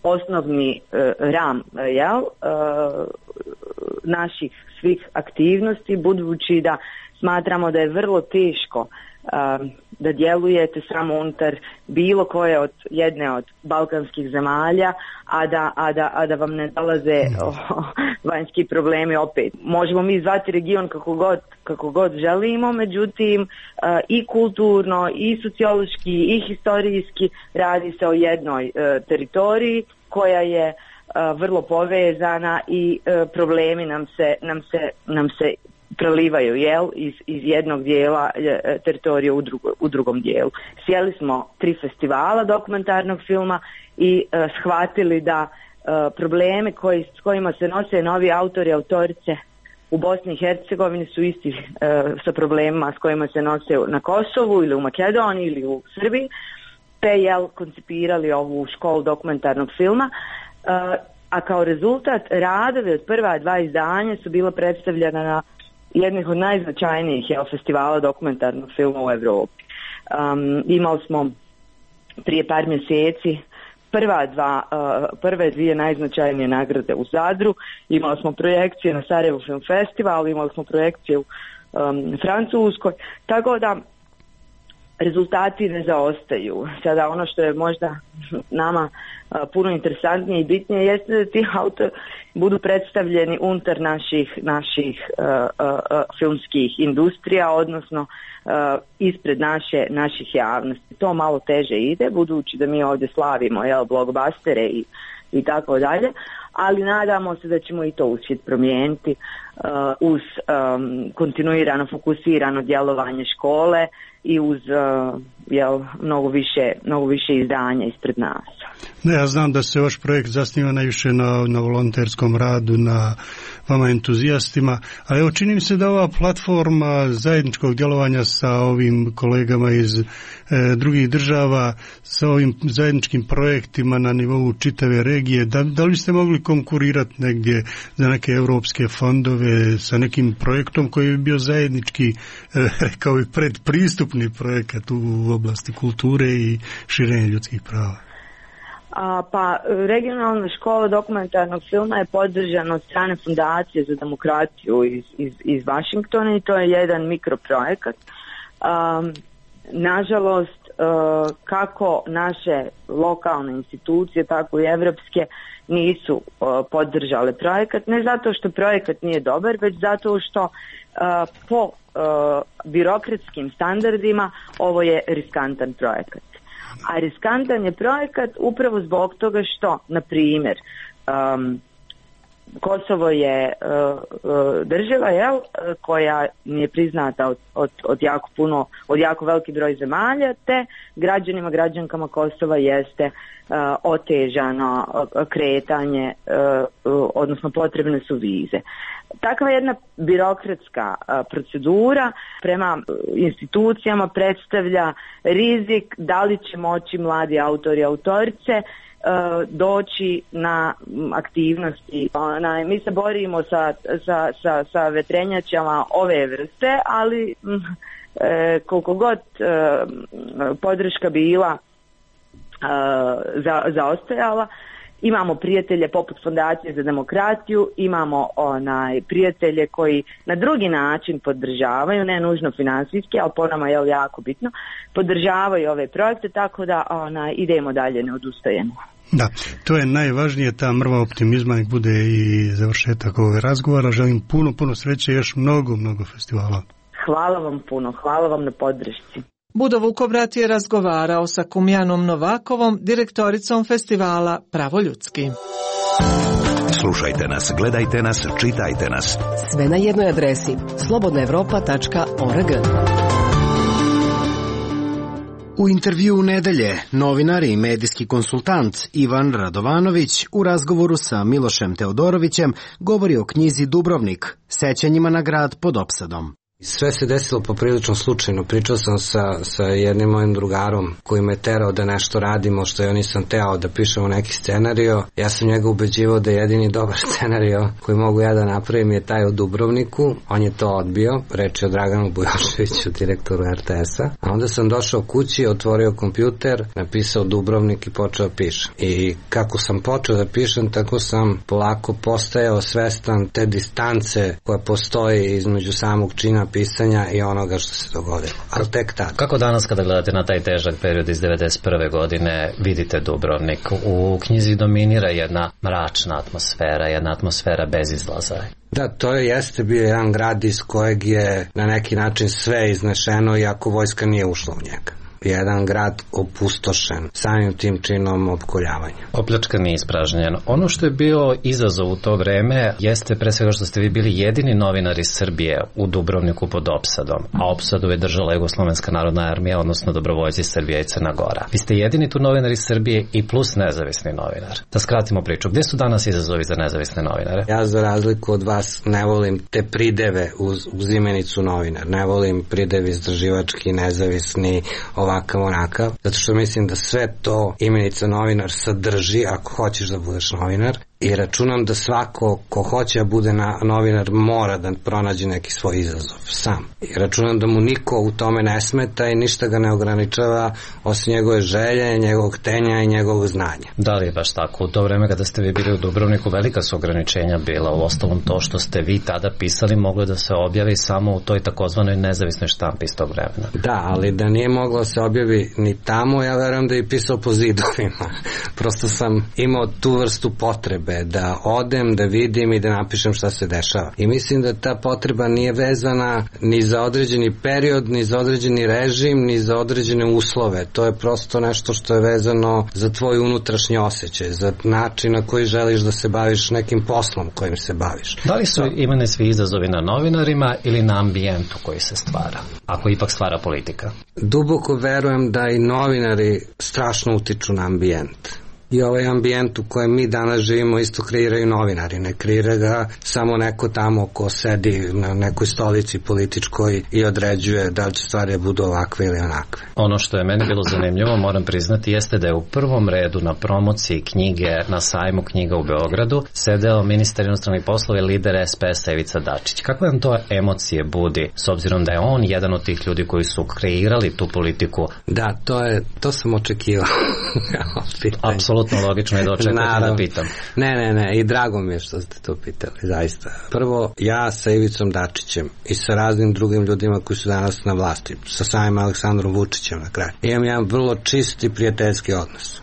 osnovni ram naših svih aktivnosti, budući da smatramo da je vrlo teško da djelujete samo unutar bilo koje od jedne od balkanskih zemalja, a da vam ne dolaze vanjski problemi opet. Možemo mi zvati region kako god želimo, međutim i kulturno, i sociološki, i historijski radi se o jednoj teritoriji koja je vrlo povezana i problemi nam se prelivaju iz jednog dijela teritorija u drugom dijelu. Sjeli smo 3 festivala dokumentarnog filma i shvatili da probleme s kojima se nose novi autori i autorice u Bosni i Hercegovini su isti sa problemima s kojima se nose na Kosovu ili u Makedoniji ili u Srbiji, te koncipirali ovu školu dokumentarnog filma, a kao rezultat radovi od prva 2 izdanja su bila predstavljena na jednih od najznačajnijih festivala dokumentarnog filma u Evropi. Imali smo prije par mjeseci prve 2 najznačajnije nagrade u Zadru, imali smo projekcije na Sarajevo Film Festival, imali smo projekcije u Francuskoj, tako da rezultati ne zaostaju. Sada ono što je možda nama puno interesantnije i bitnije jeste da ti autori budu predstavljeni unutar naših filmskih industrija, odnosno ispred naših javnosti. To malo teže ide, budući da mi ovdje slavimo blockbustere i tako dalje, ali nadamo se da ćemo i to uspjeti promijeniti uz kontinuirano fokusirano djelovanje škole i uz mnogo više izdanja ispred nas. Ne, ja znam da se vaš projekt zasniva najviše na volonterskom radu, na vama entuzijastima, ali evo čini mi se da ova platforma zajedničkog djelovanja sa ovim kolegama iz drugih država, sa ovim zajedničkim projektima na nivou čitave regije, da li ste mogli konkurirati negdje za neke europske fondove sa nekim projektom koji bi bio zajednički, rekao bi, predpristupni projekat u oblasti kulture i širenja ljudskih prava? Pa regionalna škola dokumentarnog filma je podržana od strane Fundacije za demokratiju iz Washingtona i to je jedan mikroprojekat. Nažalost, kako naše lokalne institucije, tako i evropske nisu podržale projekat, ne zato što projekat nije dobar, već zato što po birokratskim standardima ovo je riskantan projekat. A riskantan je projekat upravo zbog toga što, na primjer, Kosovo je država koja nije priznata od jako veliki broj zemalja, te građankama Kosova jeste otežano kretanje, odnosno potrebne su vize. Takva jedna birokratska procedura prema institucijama predstavlja rizik da li će moći mladi autori i autorice doći na aktivnosti. Mi se borimo sa vetrenjačama ove vrste, ali koliko god podrška bila zaostajala, imamo prijatelje poput Fondacije za demokratiju, imamo prijatelje koji na drugi način podržavaju, ne nužno finansijski, ali po nama je jako bitno, podržavaju ove projekte, tako da idemo dalje, ne odustajemo. Da, to je najvažnije, ta mrva optimizma, nek bude i završetak ovog razgovora. Želim puno sreće i još mnogo festivala. Hvala vam puno, hvala vam na podršci. Budo Vukobrat je razgovarao sa Kumjanom Novakovom, direktoricom festivala Pravo ljudski. Slušajte nas, gledajte nas, čitajte nas. Sve na jednoj adresi slobodnaevropa.org. U intervjuu nedelje novinar i medijski konsultant Ivan Radovanović u razgovoru sa Milošem Teodorovićem govori o knjizi Dubrovnik, sećanjima na grad pod opsadom. Sve se desilo poprilično slučajno. Pričao sam sa jednim mojim drugarom koji me terao da nešto radimo što ja nisam teo, da pišemo neki scenario. Ja sam njega ubeđivao da jedini dobar scenario koji mogu ja da napravim je taj o Dubrovniku. On je to odbio. Reč je o Draganu Bujoševiću, direktoru RTS-a. A onda sam došao kući, otvorio kompjuter, napisao Dubrovnik i počeo pišem. I kako sam počeo da pišem, tako sam polako postajao svestan te distance koja postoji između samog čina pisanja i onoga što se dogodilo. Ali tek tada. Kako danas kada gledate na taj težak period iz 1991. godine vidite Dubrovnik? U knjizi dominira jedna mračna atmosfera, jedna atmosfera bez izlaza. Da, to jeste bio jedan grad iz kojeg je na neki način sve iznešeno iako vojska nije ušla u njega. Jedan grad opustošen samim tim činom opkoljavanja. Opljačkan i ispražnjen. Ono što je bio izazov u to vreme jeste pre svega što ste vi bili jedini novinar iz Srbije u Dubrovniku pod opsadom, a opsadu je držala Jugoslovenska narodna armija, odnosno dobrovoljci Srbije i Crna Gora. Vi ste jedini tu novinar iz Srbije i plus nezavisni novinar. Da skratimo priču, gde su danas izazovi za nezavisne novinare? Ja za razliku od vas ne volim te prideve uz imenicu novinar. Ne volim pridev istraživački, nezavisni, ovakav onakav, zato što mislim da sve to imenica novinar sadrži ako hoćeš da budeš novinar. I računam da svako ko hoće da bude novinar mora da pronađe neki svoj izazov sam. I računam da mu niko u tome ne smeta i ništa ga ne ograničava osim njegove želje, njegovog tenja i njegovog znanja. Da li je baš tako? U to vreme kada ste vi bili u Dubrovniku velika su ograničenja bila. U ostalom to što ste vi tada pisali moglo da se objavi samo u toj takozvanoj nezavisnoj štampi iz tog vremena. Da, ali da nije moglo se objavi ni tamo, ja verujem da je pisao po zidovima. Prosto sam imao tu vrstu potrebe da odem, da vidim i da napišem šta se dešava. I mislim da ta potreba nije vezana ni za određeni period, ni za određeni režim, ni za određene uslove. To je prosto nešto što je vezano za tvoj unutrašnji osjećaj, za način na koji želiš da se baviš nekim poslom kojim se baviš. Da li su imene svi izazovi na novinarima ili na ambijentu koji se stvara, ako ipak stvara politika? Duboko verujem da i novinari strašno utiču na ambijent. I ovaj ambijent u kojem mi danas živimo isto kreiraju novinari. Ne kreira ga samo neko tamo ko sedi na nekoj stolici političkoj i određuje da li će stvari budu ovakve ili onakve. Ono što je meni bilo zanimljivo, moram priznati, jeste da je u prvom redu na promociji knjige na sajmu knjiga u Beogradu sedeo ministar inostranih poslova i lider SPS-a Ivica Dačić. Kakve vam to emocije budi, s obzirom da je on jedan od tih ljudi koji su kreirali tu politiku? Da, to sam očekivao. Apsolutno logično je da očekujete da pitam. Ne, i drago mi je što ste to pitali, zaista. Prvo, ja sa Ivicom Dačićem i sa raznim drugim ljudima koji su danas na vlasti, sa samim Aleksandrom Vučićem na kraju, imam jedan vrlo čist i prijateljski odnos.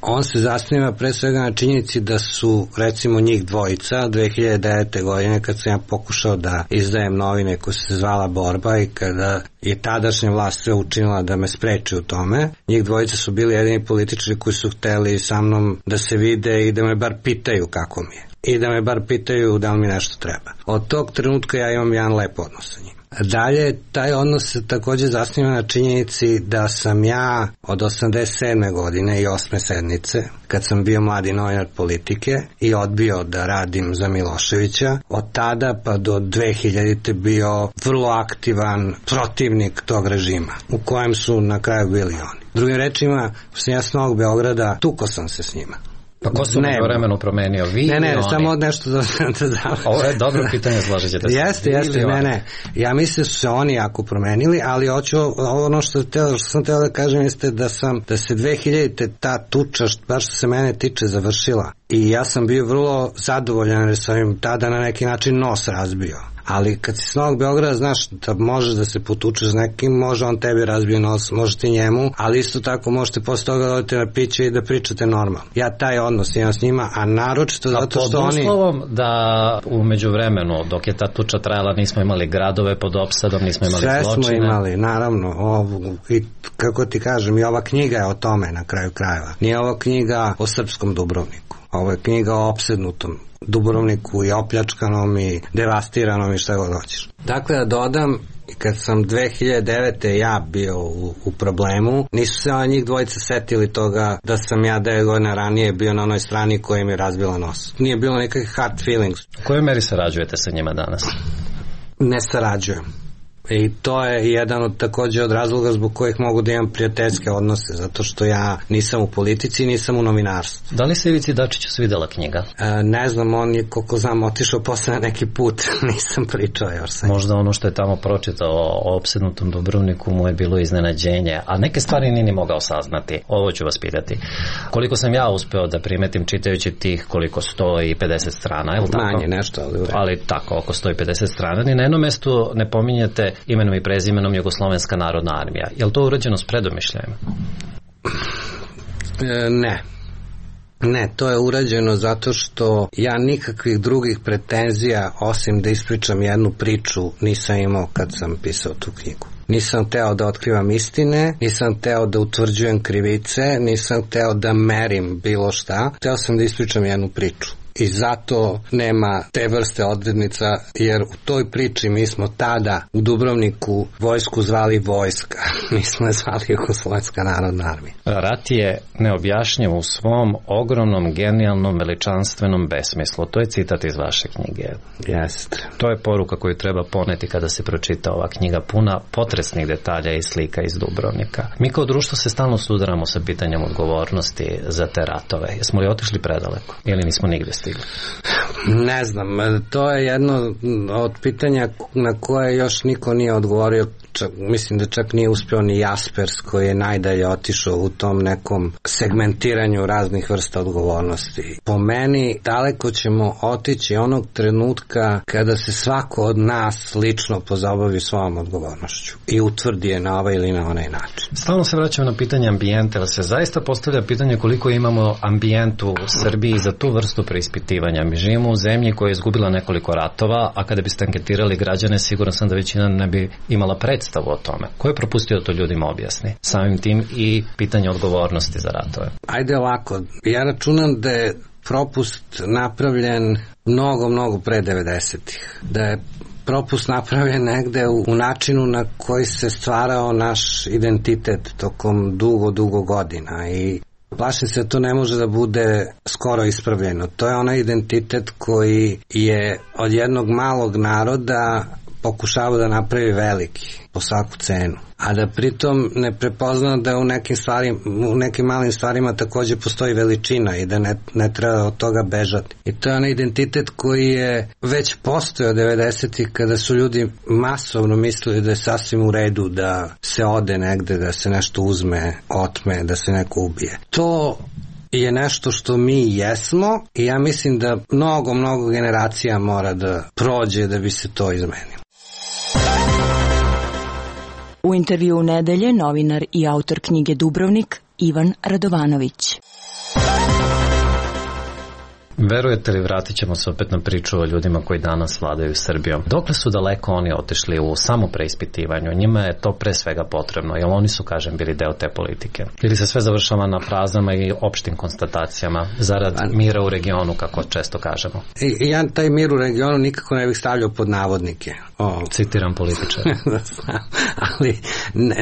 On se zasniva pre svega na činjenici da su recimo njih dvojica 2009. godine kad sam ja pokušao da izdajem novine koja se zvala Borba i kada je tadašnja vlast sve učinila da me spreči u tome, njih dvojica su bili jedini političari koji su hteli sa mnom da se vide i da me bar pitaju kako mi je i da me bar pitaju da li mi nešto treba. Od tog trenutka ja imam jedan lep odnos sa njim. Dalje, taj odnos se također zasniva na činjenici da sam ja od 87. godine i 8. sednice, kad sam bio mladi novinar Politike i odbio da radim za Miloševića, od tada pa do 2000. bio vrlo aktivan protivnik tog režima, u kojem su na kraju bili oni. Drugim rečima, sam ja s Novog Beograda, tuko sam se s njima. Pa ko su u vremenu promenio? Vi ne, oni? Samo nešto da Ovo je dobro pitanje, slažete se. Jeste, ne. Ja mislim da su se oni jako promenili, ali hoću ono što sam teo da kažem jeste da se 2000. ta tuča, baš što se mene tiče, završila. I ja sam bio vrlo zadovoljan jer sam im tada na neki način nos razbio. Ali kad si s Novog Beograda znaš da možeš da se potučeš s nekim, može on tebi razbije nos, može ti njemu, ali isto tako možete posle toga da odete na piće i da pričate normalno. Ja taj odnos imam s njima, a naročito zato što oni... Pod uslovom da u međuvremenu, dok je ta tuča trajala, nismo imali gradove pod opsadom, nismo imali sve zločine. Sve smo imali, naravno. I kako ti kažem, i ova knjiga je o tome na kraju krajeva. Nije ova knjiga o srpskom Dubrovniku. Ovo je knjiga o opsednutom Dubrovniku i opljačkanom i devastiranom i šta god hoćeš. Dakle, da dodam, kad sam 2009. ja bio u problemu, nisu se njih dvojica setili toga da sam ja 9 godina ranije bio na onoj strani koja mi je razbila nos. Nije bilo nekakvih hard feelings. U kojoj meri sarađujete sa njima danas? ne sarađujem. I to je jedan od takođe od razloga zbog kojih mogu da imam prijateljske odnose, zato što ja nisam u politici, nisam u novinarstvu. Da li se Ivici Dačiću svidela knjiga? Ne znam, on je, koliko znam, otišao posle na neki put, nisam pričao još. Možda ono što je tamo pročitao o opsednutom Dubrovniku mu je bilo iznenađenje, a neke stvari nije ni mogao saznati. Ovo ću vas pitati. Koliko sam ja uspeo da primetim čitajući tih koliko 150 strana, je li tako? Manje nešto, ali tako, oko 150 strana. Ni na jednom mestu ne pominjete imenom i prezimenom Jugoslovenska narodna armija. Je li to urađeno s predomišljajem? Ne, to je urađeno zato što ja nikakvih drugih pretenzija, osim da ispričam jednu priču, nisam imao kad sam pisao tu knjigu. Nisam teo da otkrivam istine, nisam teo da utvrđujem krivice, nisam teo da merim bilo šta. Teo sam da ispričam jednu priču. I zato nema te vrste odrednica, jer u toj priči mi smo tada u Dubrovniku vojsku zvali vojska. Mi smo je zvali Jugoslovenska narodna armija. Rat je neobjašnjiv u svom ogromnom, genijalnom, veličanstvenom besmislu. To je citat iz vaše knjige. Jeste. To je poruka koju treba poneti kada se pročita ova knjiga, puna potresnih detalja i slika iz Dubrovnika. Mi kao društvo se stalno sudaramo sa pitanjem odgovornosti za te ratove. Jesmo li otišli predaleko ili nismo nigde stigli? Ne znam, to je jedno od pitanja na koje još niko nije odgovorio. Mislim da čak nije uspeo ni Jaspers, koji je najdalje otišao u tom nekom segmentiranju raznih vrsta odgovornosti. Po meni daleko ćemo otići onog trenutka kada se svako od nas lično pozabavi svojom odgovornošću i utvrdi je na ovaj ili na onaj način. Stalno se vraćamo na pitanje ambijenta, ali se zaista postavlja pitanje koliko imamo ambijentu u Srbiji za tu vrstu preispitivanja. Mi živimo u zemlji koja je izgubila nekoliko ratova, a kada biste anketirali građane, siguran sam da većina ne bi imala predstavu o tome. Ko je propustio to ljudima objasni? Samim tim i pitanje odgovornosti za ratove. Ajde ovako, ja računam da je propust napravljen mnogo pre 90-ih. Da je propust napravljen negde u načinu na koji se stvarao naš identitet tokom dugo godina i plašim se da to ne može da bude skoro ispravljeno. To je onaj identitet koji je od jednog malog naroda pokušava da napravi veliki po svaku cenu, a da pritom ne prepozna da u nekim malim stvarima takođe postoji veličina i da ne treba od toga bežati. I to je onaj identitet koji je već postojao 90-ih kada su ljudi masovno mislili da je sasvim u redu da se ode negde, da se nešto uzme, otme, da se neko ubije. To je nešto što mi jesmo i ja mislim da mnogo generacija mora da prođe da bi se to izmenilo. U intervju nedelje novinar i autor knjige Dubrovnik Ivan Radovanović. Verujete li, vratit ćemo se opet na priču o ljudima koji danas vladaju Srbijom. Dokle su daleko oni otišli u samopreispitivanju? Njima je to pre svega potrebno, jer oni su, kažem, bili deo te politike. Ili se sve završava na frazama i opštim konstatacijama zarad mira u regionu, kako često kažemo? Ja taj mir u regionu nikako ne bih stavljao pod navodnike. Citiram političara. Ali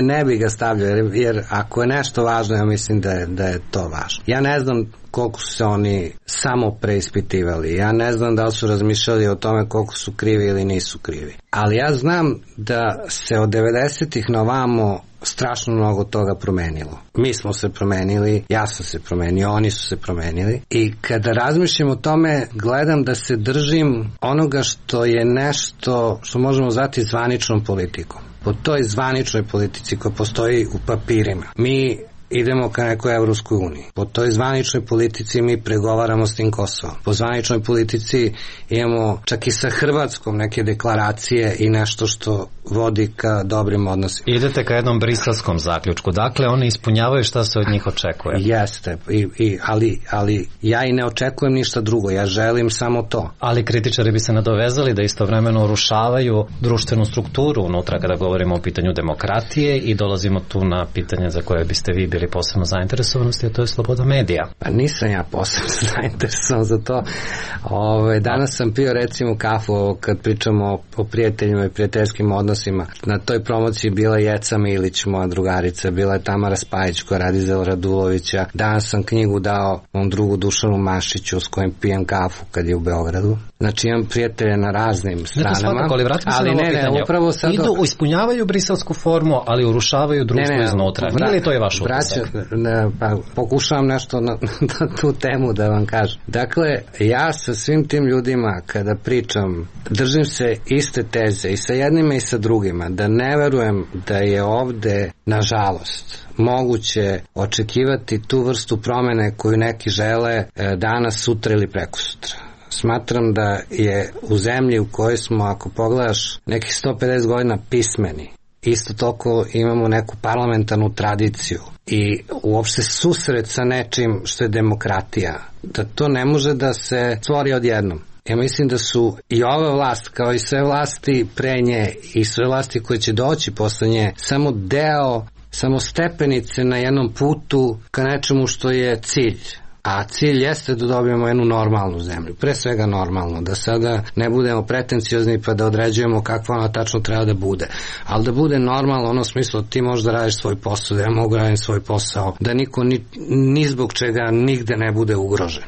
ne bih ga stavljao, jer ako je nešto važno, ja mislim da je to važno. Ja ne znam koliko su se oni samo preispitivali. Ja ne znam da li su razmišljali o tome koliko su krivi ili nisu krivi. Ali ja znam da se od 90-ih na ovamo strašno mnogo toga promenilo. Mi smo se promenili, ja sam se promenio, oni su se promenili i kada razmišljam o tome, gledam da se držim onoga što je nešto što možemo zvati zvaničnom politikom. Po toj zvaničnoj politici koja postoji u papirima. Mi idemo ka nekoj Evropskoj uniji. Po toj zvaničnoj politici mi pregovaramo s tim Kosovom. Po zvaničnoj politici imamo čak i sa Hrvatskom neke deklaracije i nešto što vodi ka dobrim odnosima. Idete ka jednom briselskom zaključku. Dakle, oni ispunjavaju šta se od njih očekuje. Jeste, ali ja i ne očekujem ništa drugo. Ja želim samo to. Ali kritičari bi se nadovezali da istovremeno urušavaju društvenu strukturu unutra kada govorimo o pitanju demokratije i dolazimo tu na pitanje za koje biste vi vidjeli posebno zainteresovanosti, a to je sloboda medija. Pa nisam ja posebno zainteresovan za to. Danas sam pio recimo kafu kad pričamo o prijateljima i prijateljskim odnosima. Na toj promociji bila Jeca Milić, moja drugarica, bila je Tamara Spajić koja radi za Radulovića. Danas sam knjigu dao mom drugu Dušanu Mašiću s kojim pijem kafu kad je u Beogradu. Znači imam prijatelje na raznim stranama. Svakako, ali vratimo se na ovo pitanje. Upravo sad ispunjavaju briselsku formu, ali urušavaju društvo iznutra. Nije li to je vaš utisak? Pokušavam nešto na tu temu da vam kažem. Dakle, ja sa svim tim ljudima kada pričam, držim se iste teze i sa jednima i sa drugima, da ne verujem da je ovde, nažalost, moguće očekivati tu vrstu promene koju neki žele danas, sutra ili prekosutra. Smatram da je u zemlji u kojoj smo, ako pogledaš, nekih 150 godina pismeni, isto toliko imamo neku parlamentarnu tradiciju i uopšte susret sa nečim što je demokratija, da to ne može da se stvori odjednom. Ja mislim da su i ova vlast, kao i sve vlasti pre nje i sve vlasti koje će doći posle nje, samo stepenice na jednom putu ka nečemu što je cilj. A cilj jeste da dobijemo jednu normalnu zemlju, pre svega normalno, da sada ne budemo pretenciozni pa da određujemo kakva ona tačno treba da bude, ali da bude normalno ono smislu ti možeš da radiš svoj posao, da ja mogu raditi svoj posao, da niko ni zbog čega nigde ne bude ugrožen.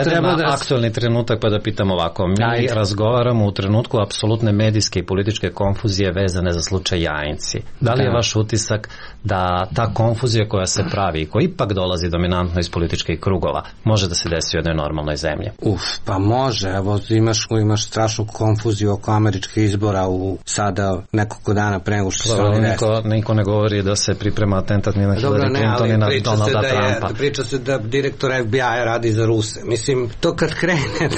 Sedem na aktualni trenutak pa da pitam ovako, mi razgovaramo u trenutku apsolutne medijske i političke konfuzije vezane za slučaj Jajinci. Da li je vaš utisak da ta konfuzija koja se pravi i koja ipak dolazi dominantno iz političkih krugova može da se desi u jednoj normalnoj zemlji? Pa može, evo imaš strašnu konfuziju oko američkih izbora sada nekoliko dana pre nego što se oni desili. Niko ne govori da se priprema atentat ni na Hillary Clinton ni na Donalda Trumpa. Priča se da direktor FBI radi za Ruse. Mislim, to kad krene,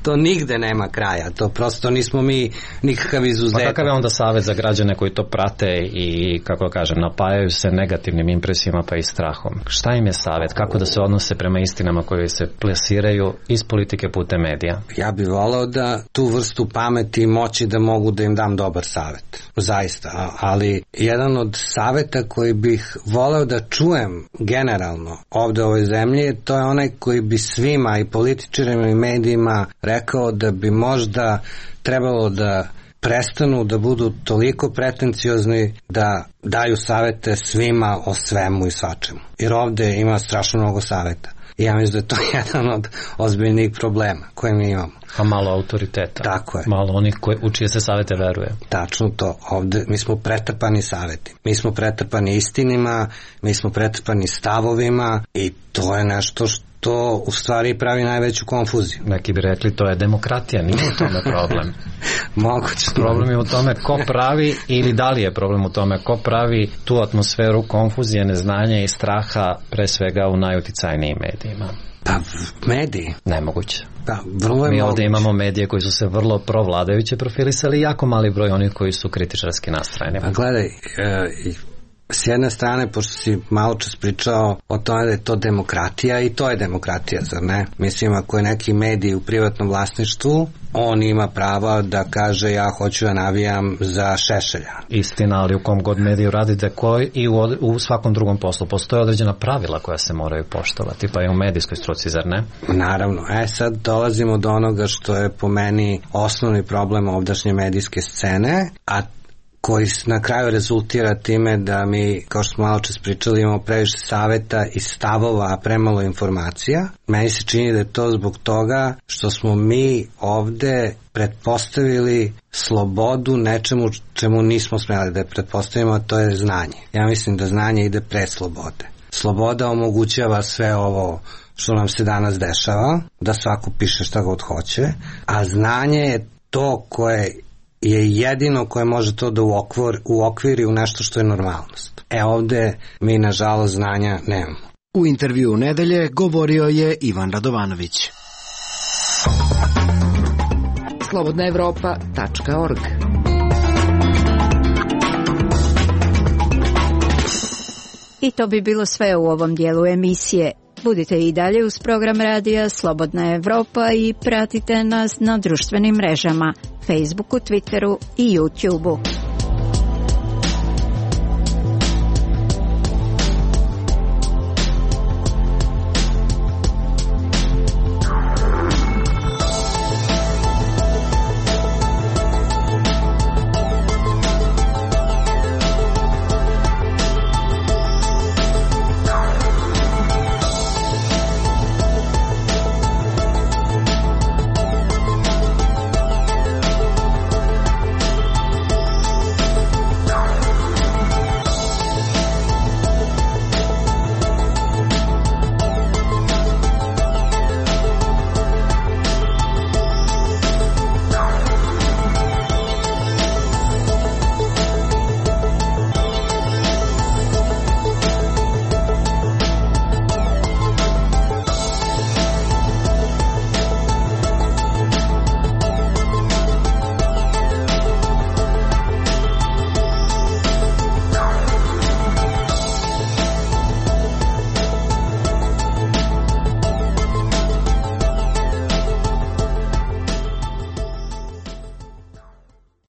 to nigde nema kraja. To prosto nismo mi nikakav izuzetak. Pa kakav je onda savjet za građane koji to prate i, kako kažem, napajaju se negativnim impresijama pa i strahom? Šta im je savjet? Kako da se odnose prema istinama koje se plasiraju iz politike putem medija? Ja bih voleo da tu vrstu pameti i moći da mogu da im dam dobar savjet. Zaista. Ali jedan od savjeta koji bih voleo da čujem generalno ovde u ovoj zemlji, to je onaj koji bi svima i političarima i medijima rekao da bi možda trebalo da prestanu da budu toliko pretenciozni da daju savete svima o svemu i svačemu. Jer ovde ima strašno mnogo saveta. I ja mislim da je to jedan od ozbiljnih problema koje mi imamo. A malo autoriteta. Tako je. Malo onih u čije se savete veruje. Tačno to. Ovde mi smo pretrpani saveti. Mi smo pretrpani istinima, mi smo pretrpani stavovima i to je nešto što u stvari pravi najveću konfuziju. Neki bi rekli to je demokratija, nije u tome problem. Moguće. Problem je u tome ko pravi ili da li je problem u tome ko pravi tu atmosferu konfuzije, neznanja i straha pre svega u najuticajnijim medijima. Pa mediji? Nemoguće. Pa, vrlo je mi ovdje imamo medije koji su se vrlo provladajuće profilisali i jako mali broj onih koji su kritičarski nastrojeni. Pa gledaj, s jedne strane, pošto si malo čas pričao o tome da je to demokratija i to je demokratija, zar ne? Mislim, ako je neki medij u privatnom vlasništvu, on ima prava da kaže ja hoću da navijam za Šešelja. Istina, ali u kom god mediju radite i u svakom drugom poslu postoje određena pravila koja se moraju poštovati, pa i u medijskoj struci, zar ne? Naravno. Sad dolazimo do onoga što je po meni osnovni problem ovdašnje medijske scene, a koji na kraju rezultira time da mi, kao što smo malo čas pričali, imamo previše saveta i stavova, a premalo informacija. Meni se čini da je to zbog toga što smo mi ovde pretpostavili slobodu nečemu čemu nismo smjeli da je pretpostavimo, a to je znanje. Ja mislim da znanje ide pre slobode. Sloboda omogućava sve ovo što nam se danas dešava, da svako piše šta god hoće, a znanje je to koje je jedino koje može to da uokviri u nešto što je normalnost. Ovde mi nažalost znanja nemamo. U intervju nedelje govorio je Ivan Radovanović. slobodnaevropa.org. I to bi bilo sve u ovom dijelu emisije. Budite i dalje uz program radija Slobodna Evropa i pratite nas na društvenim mrežama, Facebooku, Twitteru i YouTubeu.